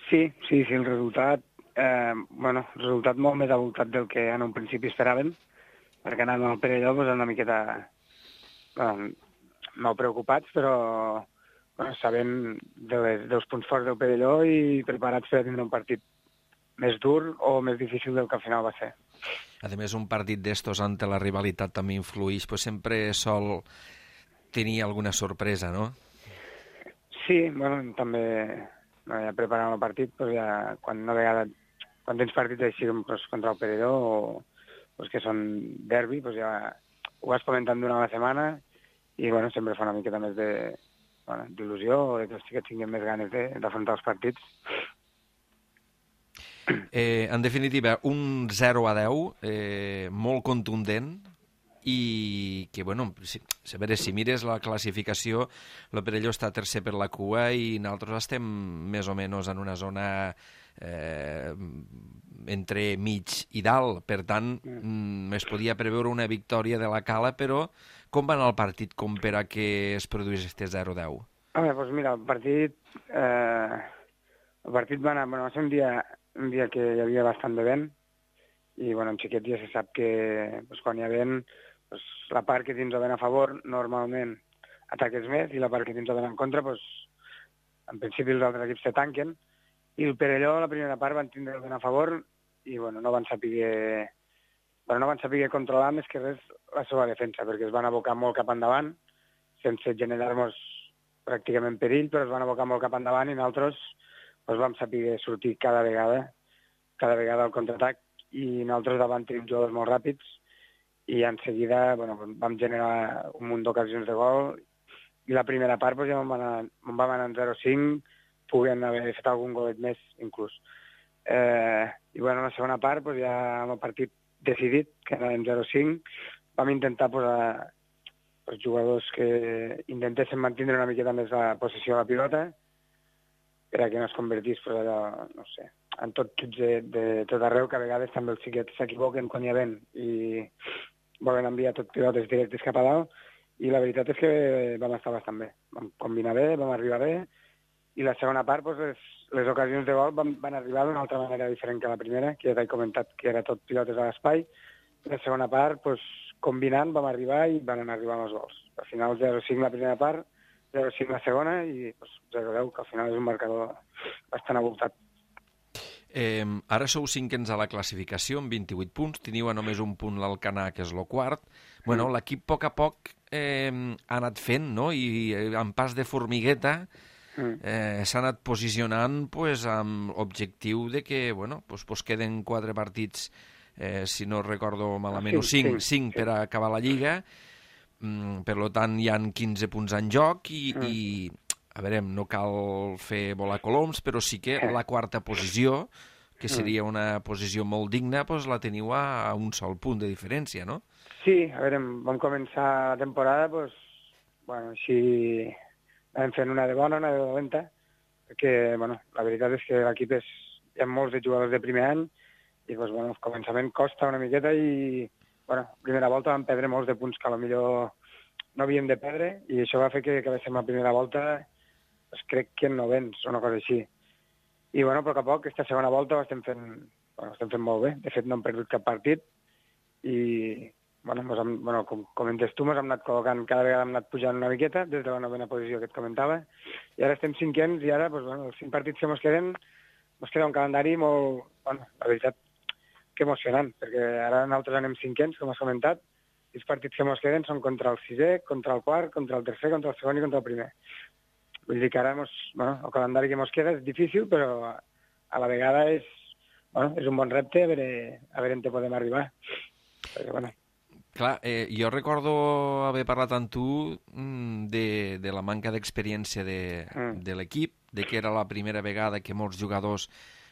Sí, sí, sí, el resultat, eh, bueno, el resultat molt més avoltat del que en un principi esperàvem, perquè anant al Perelló doncs, una miqueta, bueno, no preocupats, però bueno, sabent de les, dels punts forts del Perelló i preparats per a tindre un partit més dur o més difícil del que al final va ser. A més, un partit d'estos ante la rivalitat també influeix, pues sempre sol tenir alguna sorpresa, no? Sí, bueno, també no, ja preparant el partit, doncs ja, quan una vegada, quan tens partits així doncs, contra el Perelló o doncs, que són derbi, doncs ja ho vas comentant durant la setmana i bueno, sempre fa una miqueta més de, bueno, d'il·lusió o de que els xiquets tinguin més ganes d'afrontar els partits. Eh, en definitiva, un zero a deu eh, molt contundent i que, bueno, si, a veure, si mires la classificació, el Perelló està tercer per la cua i nosaltres estem més o menys en una zona eh, entre mig i dalt. Per tant, mm, es podia preveure una victòria de la Cala, però com va anar el partit com per a que es produís este zero a deu? A veure, doncs mira, el partit, eh, el partit va anar, bueno, va ser un dia, un dia que hi havia bastant de vent i, bueno, en xiquets ja se sap que doncs, quan hi ha vent, doncs, la part que tens el vent a favor normalment ataques més i la part que tens el vent en contra, doncs, en principi els altres equips se tanquen i el Perelló la primera part van tindre el vent a favor i, bueno, no van saber, bueno, no van saber controlar més que res la seva defensa perquè es van abocar molt cap endavant sense generar-nos pràcticament perill, però es van abocar molt cap endavant i nosaltres doncs, vam saber sortir cada vegada, cada vegada al contraatac i nosaltres davant tenim jugadors molt ràpids i en seguida bueno, vam generar un munt d'ocasions de gol i la primera part doncs, ja vam anar, vam anar en zero a cinc, puguem haver fet algun golet més inclús. Eh, I bueno, la segona part doncs, ja amb el partit decidit, que anàvem zero a cinc, vam intentar posar els jugadors que intentessin mantenir una miqueta més la possessió de la pilota per a que no es convertís pues, allò, no sé, en tot xuts de, de tot arreu, que a vegades també els xiquets s'equivoquen quan hi ha vent i volen enviar tot pilotes directes cap a dalt, i la veritat és que vam estar bastant bé. Vam combinar bé, vam arribar bé, i la segona part, pues, les, les ocasions de gol van, van arribar d'una altra manera diferent que la primera, que ja t'he comentat que era tot pilotes a l'espai. La segona part, pues, combinant, vam arribar i van anar arribant els gols. Al final zero a cinc la primera part, zero a cinc la segona i pues, zero a deu, que al final és un marcador bastant avoltat. Eh, ara sou cinquens a la classificació amb vint-i-vuit punts, teniu a només un punt l'Alcanar, que és el quart. Bueno, mm. l'equip a poc a poc eh, ha anat fent, no? I eh, amb pas de formigueta mm. eh, s'ha anat posicionant pues, amb objectiu de que bueno, pues, pues queden quatre partits, eh, si no recordo malament, o cinc, cinc per a acabar la Lliga. Mm, per tant, hi han quinze punts en joc i... Mm. i a veure, no cal fer volar coloms, però sí que la quarta posició, que seria una posició molt digna, doncs la teniu a un sol punt de diferència, no? Sí, a veure, vam començar la temporada, doncs, bueno, així vam fent una de bona, una de dolenta, perquè, bueno, la veritat és que l'equip és, hi ha molts de jugadors de primer any, i, doncs, bueno, el començament costa una miqueta i, bueno, primera volta vam perdre molts de punts que potser no havíem de perdre, i això va fer que acabéssim la primera volta pues crec que en novens, una cosa així. I, bueno, a poc a poc, aquesta segona volta ho estem fent, bueno, estem fent molt bé. De fet, no hem perdut cap partit i, bueno, hem, bueno com comentes tu, ens hem anat col·locant, cada vegada hem anat pujant una miqueta des de la novena posició que et comentava, i ara estem cinquens i ara, pues, bueno, els cinc partits que ens queden, ens queda un calendari molt, bueno, la veritat, que emocionant, perquè ara nosaltres anem cinquens, com has comentat, i els partits que ens queden són contra el sisè, contra el quart, contra el tercer, contra el segon i contra el primer. Vull dir que ara mos, bueno, el calendari que ens queda és difícil, però a la vegada és, bueno, és un bon repte a veure, a veure on te podem arribar. Perquè, bueno. Clar, eh, jo recordo haver parlat amb tu de, de la manca d'experiència de, mm. de l'equip, de que era la primera vegada que molts jugadors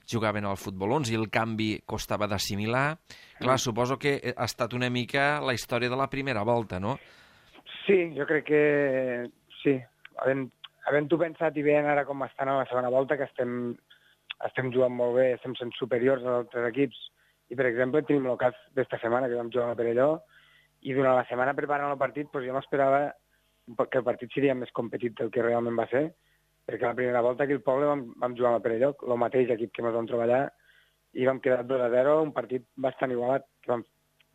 jugaven al futbol onze i el canvi costava d'assimilar. Clar, mm. suposo que ha estat una mica la història de la primera volta, no? Sí, jo crec que sí. Havent Havent-ho pensat i veient ara com estan a la segona volta, que estem, estem jugant molt bé, estem sent superiors als altres equips I, per exemple, tenim el cas d'esta setmana, que vam jugar a Perelló, i durant la setmana preparant el partit doncs jo m'esperava que el partit seria més competit del que realment va ser, perquè la primera volta aquí al poble vam, vam jugar a Perelló, el mateix equip que ens vam treballar, i vam quedar dos a zero, un partit bastant igualat, que vam,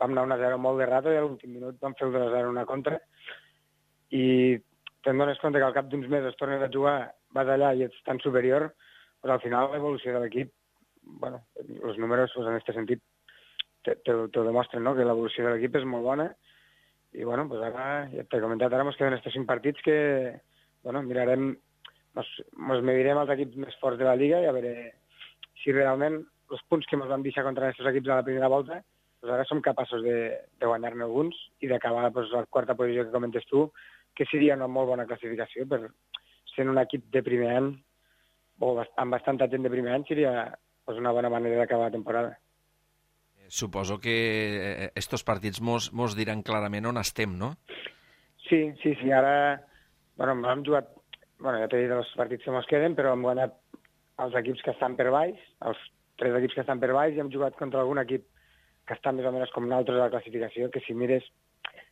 vam anar un a zero molt de rato i a l'últim minut vam fer el dos a zero una contra, i te'n dones compte que al cap d'uns mesos tornes a jugar, vas allà i ets tan superior, doncs al final l'evolució de l'equip, bueno, els números doncs, en aquest sentit te, te, te demostren, no?, que l'evolució de l'equip és molt bona, i bueno, doncs ara, ja t'he comentat, ara ens queden estos cinc partits que, bueno, mirarem, ens, ens medirem els equips més forts de la Lliga i a veure si realment els punts que ens van deixar contra aquests equips a la primera volta, doncs ara som capaços de, de guanyar-ne alguns i d'acabar doncs, la quarta posició que comentes tu, que seria una molt bona classificació per ser un equip de primer any, o amb bastanta gent de primer any, seria doncs, una bona manera d'acabar la temporada. Suposo que estos partits mos, mos diran clarament on estem, no? Sí, sí, sí. Ara, bueno, hem jugat, bueno, ja t'he dit els partits que mos queden, però hem guanyat els equips que estan per baix, els tres equips que estan per baix, i hem jugat contra algun equip que està més o menys com nosaltres a la classificació, que si mires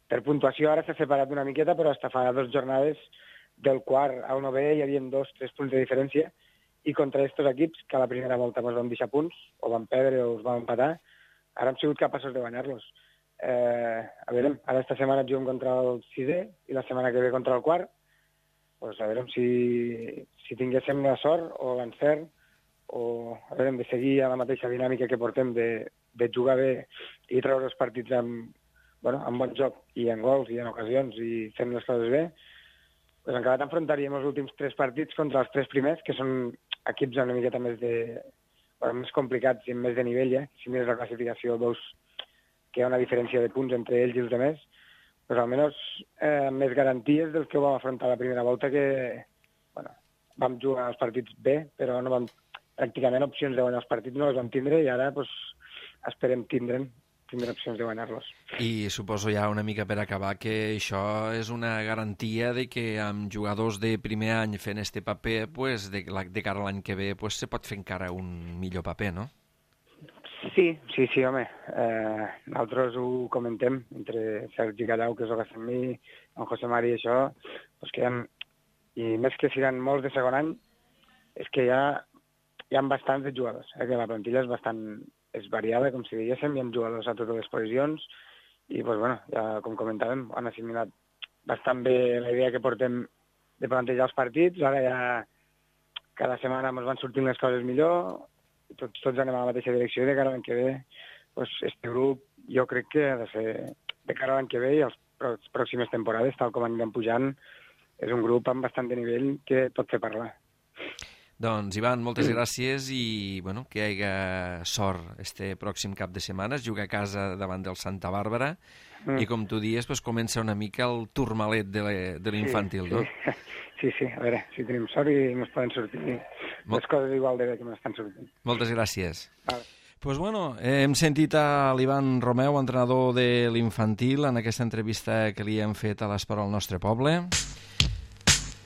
per puntuació ara s'ha separat una miqueta, però hasta fa dues jornades del quart al novè hi havia dos, tres punts de diferència, i contra aquests equips, que a la primera volta ens vam deixar punts, o vam perdre o els vam empatar, ara hem sigut capaços de guanyar-los. Eh, a veure, ara esta setmana juguem contra el sisè i la setmana que ve contra el quart. Pues a veure si, si tinguéssim la sort o l'encert o a veure, de seguir a la mateixa dinàmica que portem de, de jugar bé i treure els partits amb, bueno, amb bon joc i en gols i en ocasions i fent les coses bé, pues encara t'enfrontaríem els últims tres partits contra els tres primers, que són equips una miqueta més de... Bueno, més complicats i més de nivell, eh? Si mires la classificació, veus que hi ha una diferència de punts entre ells i els altres, però almenys eh, més garanties del que ho vam afrontar la primera volta, que bueno, vam jugar els partits bé, però no vam, pràcticament opcions de guanyar els partits no les vam tindre, i ara pues, esperem tindre'n tindre opcions de guanyar-los. I suposo ja una mica per acabar que això és una garantia de que amb jugadors de primer any fent este paper, pues, de, de cara a l'any que ve pues, se pot fer encara un millor paper, no? Sí, sí, sí, home. Eh, nosaltres ho comentem entre Sergi Callau, que és el que fem mi, en José Mari i això, pues que hi ha, i més que siguin molts de segon any, és que hi ha, hi ha bastants de jugadors, eh, que la plantilla és bastant és variada, com si diguéssim, hi ha jugadors a totes les posicions, i, pues, bueno, ja com comentàvem, han assimilat bastant bé la idea que portem de plantejar els partits. Ara ja cada setmana ens van sortint les coses millor, i tots, tots anem a la mateixa direcció, i de cara a l'any que ve, pues, este grup jo crec que ha de ser de cara a l'any que ve i les pròximes temporades, tal com anirem pujant, és un grup amb bastant de nivell que pot fer parlar. Doncs, Ivan, moltes gràcies i bueno, que hi hagi sort este pròxim cap de setmana. Es juga a casa davant del Santa Bàrbara mm. i, com tu dies, pues, comença una mica el turmalet de l'infantil, sí, no? Sí. sí, sí, a veure, si tenim sort i ens poden sortir Mol... les coses igual de bé que m'estan sortint. Moltes gràcies. Vale. Pues bueno, hem sentit a l'Ivan Romeu, entrenador de l'infantil, en aquesta entrevista que li hem fet a l'Esport al nostre poble.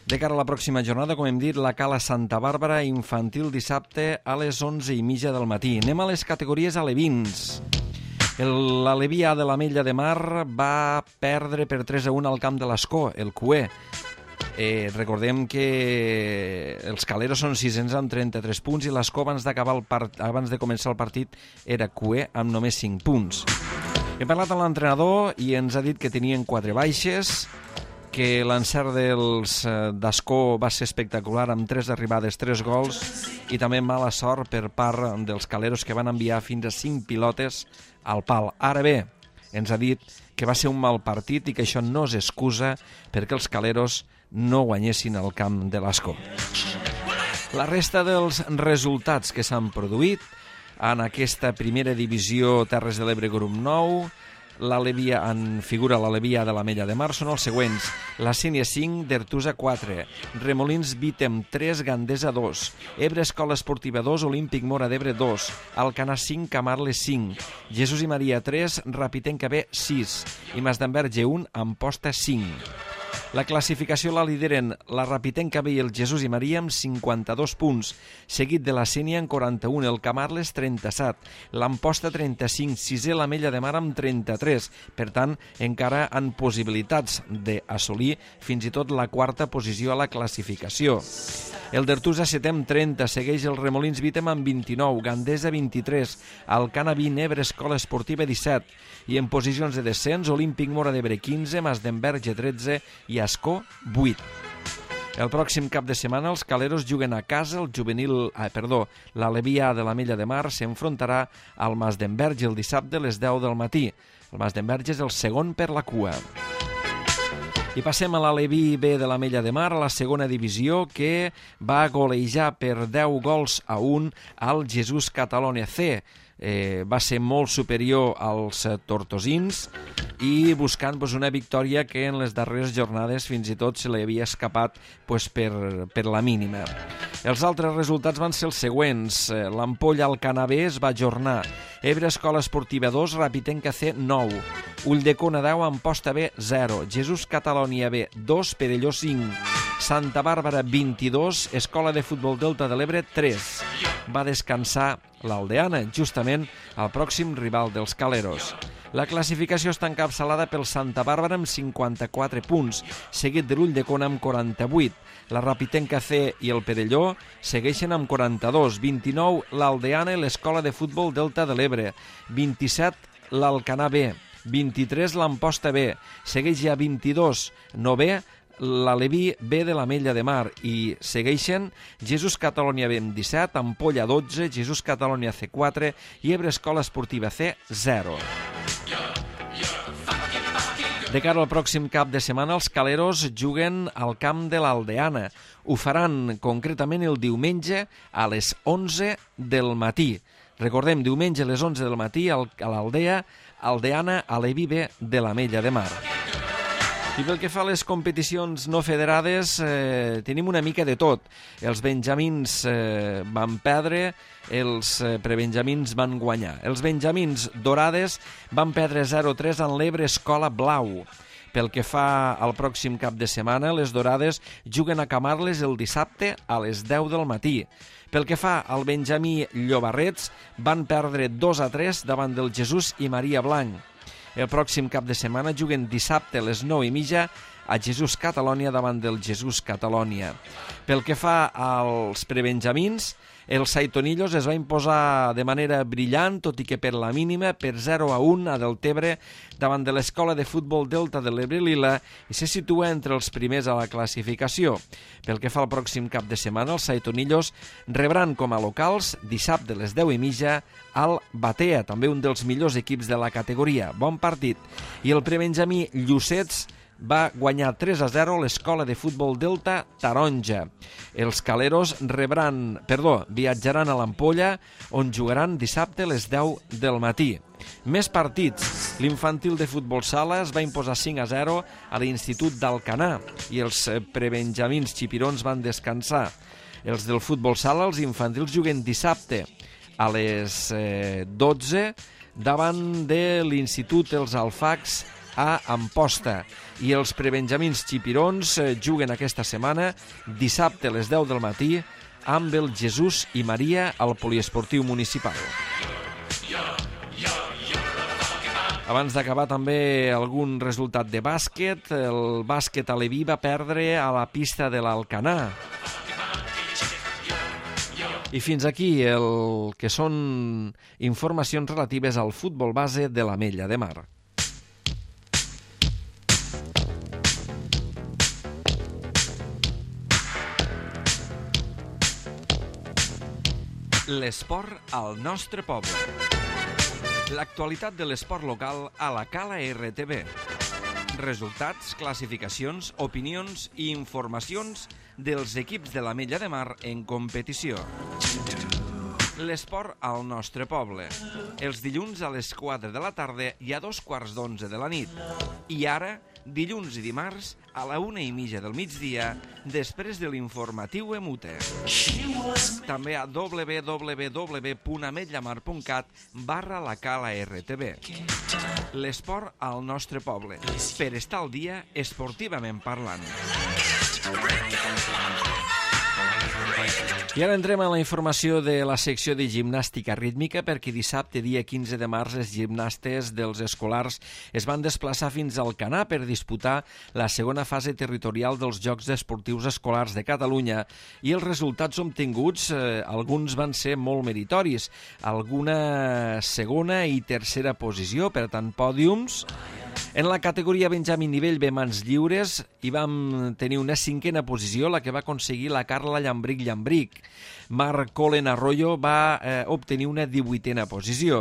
De cara a la pròxima jornada, com hem dit, la Cala Santa Bàrbara infantil dissabte a les onze i mitja del matí. Anem a les categories alevins. L'Aleví A de l'Ametlla de Mar va perdre per tres a un al camp de l'Escó, el Cué. Eh, recordem que els Caleros són sisens amb trenta-tres punts i l'Escó abans d'acabar el part... abans de començar el partit era Cué amb només cinc punts. Hem parlat amb l'entrenador i ens ha dit que tenien quatre baixes, que l'encert dels d'Escó va ser espectacular amb tres arribades, tres gols i també mala sort per part dels Caleros, que van enviar fins a cinc pilotes al pal. Ara bé, ens ha dit que va ser un mal partit i que això no és excusa perquè els Caleros no guanyessin el camp de l'Escó. La resta dels resultats que s'han produït en aquesta primera divisió Terres de l'Ebre grup nou, l'Aleví en figura l'Aleví de l'Ametlla de Mar, són els següents: la Sénia cinc, d'Ertusa quatre, Remolins Vítem tres, Gandesa dos, Ebre Escola Esportiva dos, Olímpic Mora d'Ebre dos, Alcanar cinc, Camarles cinc, Jesús i Maria tres, Rapitenca B sis i Masdenverge un, Amposta cinc. La classificació la lideren la Rapitenca B i el Jesús i Maria amb cinquanta-dos punts, seguit de la Sénia amb quaranta-un, el Camarles trenta-set, l'Amposta trenta-cinc, sisè l'Ametlla de Mar amb trenta-tres. Per tant, encara han possibilitats d'assolir fins i tot la quarta posició a la classificació. El d'Ertusa setè amb trenta, segueix el Remolins Vítem amb vint-i-nou, Gandesa vint-i-tres, Alcana vint, Ebre Escola Esportiva disset, i en posicions de descens, Olímpic Móra d'Ebre quinze, Masdenverge tretze i Ascó vuit. El pròxim cap de setmana els caleros juguen a casa, el juvenil, ah, perdó, l'Aleví A de l'Ametlla de Mar s'enfrontarà al Masdenverge el dissabte a les deu del matí. El Masdenverge és el segon per la cua. I passem a l'Aleví B de l'Ametlla de Mar, a la segona divisió, que va golejar per deu gols a un al Jesús Catalonia C. Eh, va ser molt superior als tortosins i buscant pues, una victòria que en les darreres jornades fins i tot se li havia escapat pues, per, per la mínima. Els altres resultats van ser els següents. L'Ampolla Alcana B es va ajornar. Ebre Escola Esportiva dos, Rapitenca C nou, Ulldecona deu, Amposta B zero, Jesús Catalonia B dos, Perelló cinc, Santa Bàrbara vint-i-dos, Escola de Futbol Delta de l'Ebre tres. Va descansar l'Aldeana, justament el pròxim rival dels caleros. La classificació està encapçalada pel Santa Bàrbara amb cinquanta-quatre punts, seguit de l'Ulldecona amb quaranta-vuit. La Rapitenca C i el Perelló segueixen amb quaranta-dos, vint-i-nou l'Aldeana i l'Escola de Futbol Delta de l'Ebre, vint-i-set l'Alcanar B, vint-i-tres l'Amposta B, segueix ja vint-i-dos novè l'Aleví B de l'Ametlla de Mar i segueixen Jesús Catalonia B amb disset, Ampolla dotze, Jesús Catalonia C quatre i Ebre Escola Esportiva C zero. De cara al pròxim cap de setmana, els caleros juguen al camp de l'Aldeana. Ho faran concretament el diumenge a les onze del matí. Recordem, diumenge a les onze del matí a l'Aldea, Aldeana, Aleví B de l'Ametlla de Mar. I pel que fa a les competicions no federades, eh, tenim una mica de tot. Els benjamins eh, van perdre, els eh, prebenjamins van guanyar. Els benjamins dorades van perdre zero a tres en l'Ebre Escola Blau. Pel que fa al pròxim cap de setmana, les dorades juguen a Camarles el dissabte a les deu del matí. Pel que fa al benjamí Llobarrets, van perdre dos a tres davant del Jesús i Maria Blanc. El pròxim cap de setmana juguen dissabte a les nou i mitja a Jesús Catalonia davant del Jesús Catalonia. Pel que fa als prebenjamins, el Saitonillos es va imposar de manera brillant, tot i que per la mínima, per zero a un a Deltebre davant de l'Escola de Futbol Delta de l'Ebre Lila i se situa entre els primers a la classificació. Pel que fa al pròxim cap de setmana, els Saitonillos rebran com a locals dissabte a les deu i mitja al Batea, també un dels millors equips de la categoria. Bon partit. I el prebenjamí Llucets va guanyar tres a zero l'Escola de Futbol Delta Taronja. Els caleros rebran, perdó, viatjaran a l'Ampolla, on jugaran dissabte a les deu del matí. Més partits. L'infantil de futbol sala es va imposar cinc a zero a l'Institut d'Alcanar i els prebenjamins xipirons van descansar. Els del futbol sala, els infantils, juguen dissabte a les dotze davant de l'Institut Els Alfacs a Amposta. I els prebenjamins xipirons juguen aquesta setmana dissabte a les deu del matí amb el Jesús i Maria al Poliesportiu Municipal. Abans d'acabar també algun resultat de bàsquet. El bàsquet aleví va perdre a la pista de l'Alcanar. I fins aquí el que són informacions relatives al futbol base de l'Ametlla de Mar. L'esport al nostre poble. L'actualitat de l'esport local a la Cala R T V. Resultats, classificacions, opinions i informacions dels equips de l'Ametlla de Mar en competició. L'esport al nostre poble. Els dilluns a les quatre de la tarda i a dos quarts d'onze de la nit. I ara, dilluns i dimarts, a la una i mitja del migdia, després de l'informatiu Emute. També a w w w punt ametlla mar punt cat barra la cala R T V. L'esport al nostre poble. Per estar al dia, esportivament parlant. I ara entrem a la informació de la secció de gimnàstica rítmica, perquè dissabte, dia quinze de març, els gimnastes dels escolars es van desplaçar fins al Canà per disputar la segona fase territorial dels Jocs Esportius Escolars de Catalunya, i els resultats obtinguts, eh, alguns van ser molt meritoris, alguna segona i tercera posició, per tant, pòdiums. En la categoria Benjamí nivell B mans lliures hi vam tenir una cinquena posició, la que va aconseguir la Carla Llambric Llambric. Marc Colen Arroyo va eh, obtenir una divuitena posició.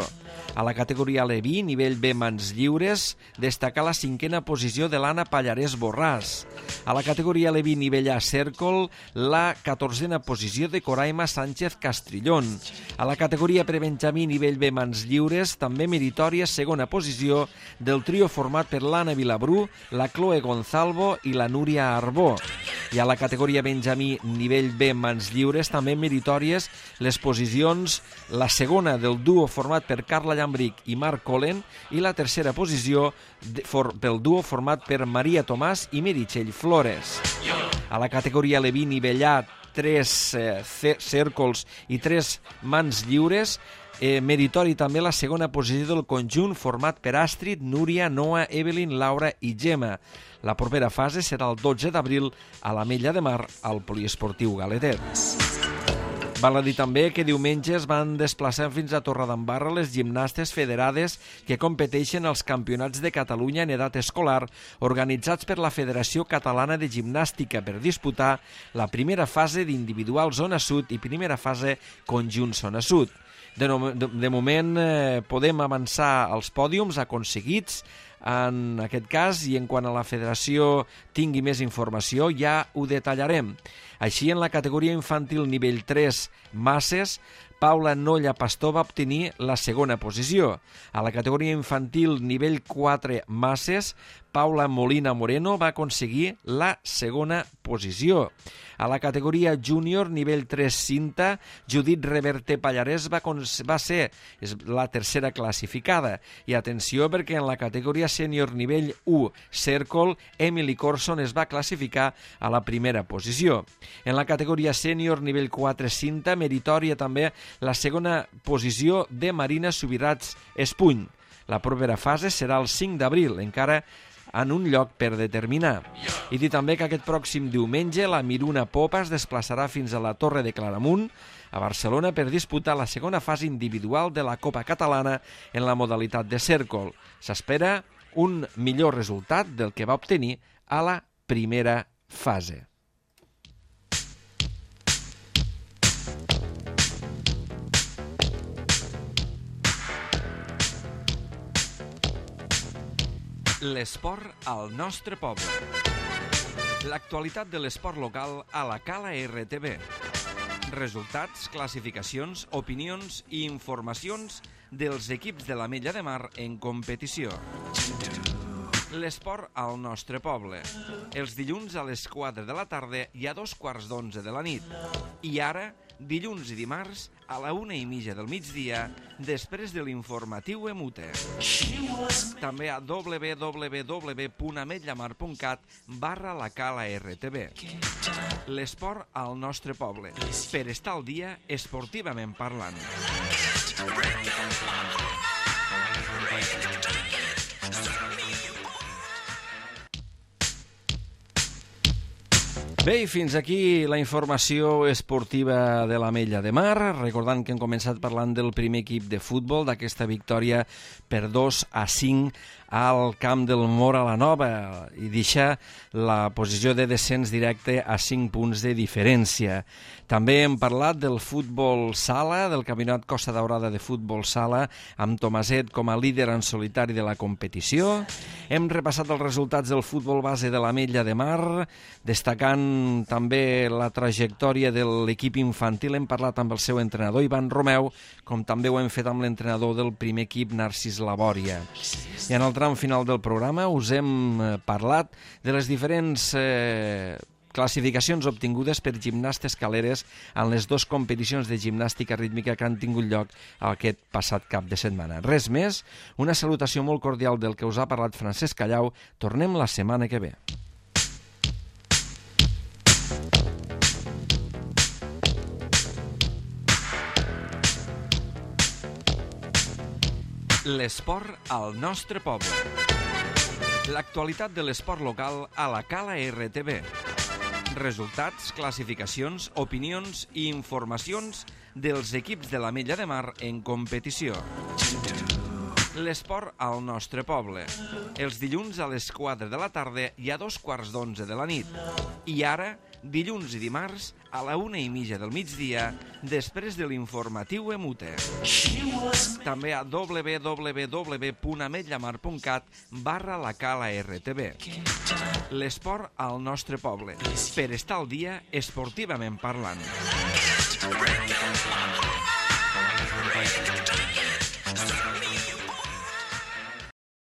A la categoria Leví, nivell B mans lliures, destaca la cinquena posició de l'Anna Pallarès Borràs. A la categoria Leví, nivell A cèrcol, la catorzena posició de Coraima Sánchez Castrillón. A la categoria prebenjamí, nivell B mans lliures, també meritòria segona posició del trio format per l'Anna Vilabrú, la Chloe Gonzalvo i la Núria Arbó. I a la categoria Benjamí nivell B mans lliures també meritòries les posicions, la segona del duo format per Carla Llambric i Marc Colen i la tercera posició de, for, del duo format per Maria Tomàs i Meritxell Flores. A la categoria Leví nivell A, tres eh, cèrcols i tres mans lliures, Eh, meritori també la segona posició del conjunt format per Astrid, Núria, Noa, Evelyn, Laura i Gemma. La propera fase serà el dotze d'abril a l'Ametlla de Mar, al Poliesportiu Galetet. Val a dir també que diumenge es van desplaçar fins a Torredembarra les gimnastes federades que competeixen als Campionats de Catalunya en edat escolar organitzats per la Federació Catalana de Gimnàstica per disputar la primera fase d'individual zona sud i primera fase conjunt zona sud. De, no, de, de moment eh, podem avançar als pòdiums aconseguits en aquest cas, i en quant a la federació tingui més informació ja ho detallarem. Així, en la categoria infantil nivell tres masses, Paula Nolla Pastor va obtenir la segona posició. A la categoria infantil nivell quatre masses, Paula Molina Moreno va aconseguir la segona posició. A la categoria júnior nivell tres cinta, Judit Reverte Pallarès va, va ser la tercera classificada. I atenció, perquè en la categoria sènior nivell u cèrcol, Emily Corson es va classificar a la primera posició. En la categoria sènior nivell quatre cinta, meritòria també la segona posició de Marina Subirats Espuny. La propera fase serà el cinc d'abril, encara en un lloc per determinar. I dir també que aquest pròxim diumenge la Miruna Popa es desplaçarà fins a la Torre de Claramunt, a Barcelona, per disputar la segona fase individual de la Copa Catalana en la modalitat de cèrcol. S'espera un millor resultat del que va obtenir a la primera fase. L'esport al nostre poble. L'actualitat de l'esport local a la Cala R T V. Resultats, classificacions, opinions i informacions dels equips de l'Ametlla de Mar en competició. L'esport al nostre poble. Els dilluns a les quatre de la tarda i a dos quarts d'onze de la nit. I ara, dilluns i dimarts, a la una i mitja del migdia, després de l'informatiu Emute. També a w w w punt ametlla mar punt cat barra la cala R T V. L'esport al nostre poble. Per estar al dia, esportivament parlant. Bé, i fins aquí la informació esportiva de l'Ametlla de Mar, recordant que hem començat parlant del primer equip de futbol, d'aquesta victòria per dos a cinc al camp del Móra la Nova i deixar la posició de descens directe a cinc punts de diferència. També hem parlat del futbol sala, del Campionat Costa Daurada de futbol sala, amb Tomaset com a líder en solitari de la competició. Hem repassat els resultats del futbol base de l'Ametlla de Mar, destacant també la trajectòria de l'equip infantil. Hem parlat amb el seu entrenador, Ivan Romeu, com també ho hem fet amb l'entrenador del primer equip, Narcís Labòria. I en el tram final del programa us hem parlat de les diferents eh, classificacions obtingudes per gimnastes caleres en les dues competicions de gimnàstica rítmica que han tingut lloc aquest passat cap de setmana. Res més, una salutació molt cordial del que us ha parlat Francesc Callau. Tornem la setmana que ve. L'esport al nostre poble. L'actualitat de l'esport local a la Cala R T V. Resultats, classificacions, opinions i informacions dels equips de l'Ametlla de Mar en competició. L'esport al nostre poble. Els dilluns a les quatre de la tarda i a dos quarts d'onze de la nit. I ara, dilluns i dimarts, a la una i mitja del migdia, després de l'informatiu Emute. També a w w w punt ametllamar punt cat barra la Cala R T V. L'esport al nostre poble. Per estar al dia, esportivament parlant.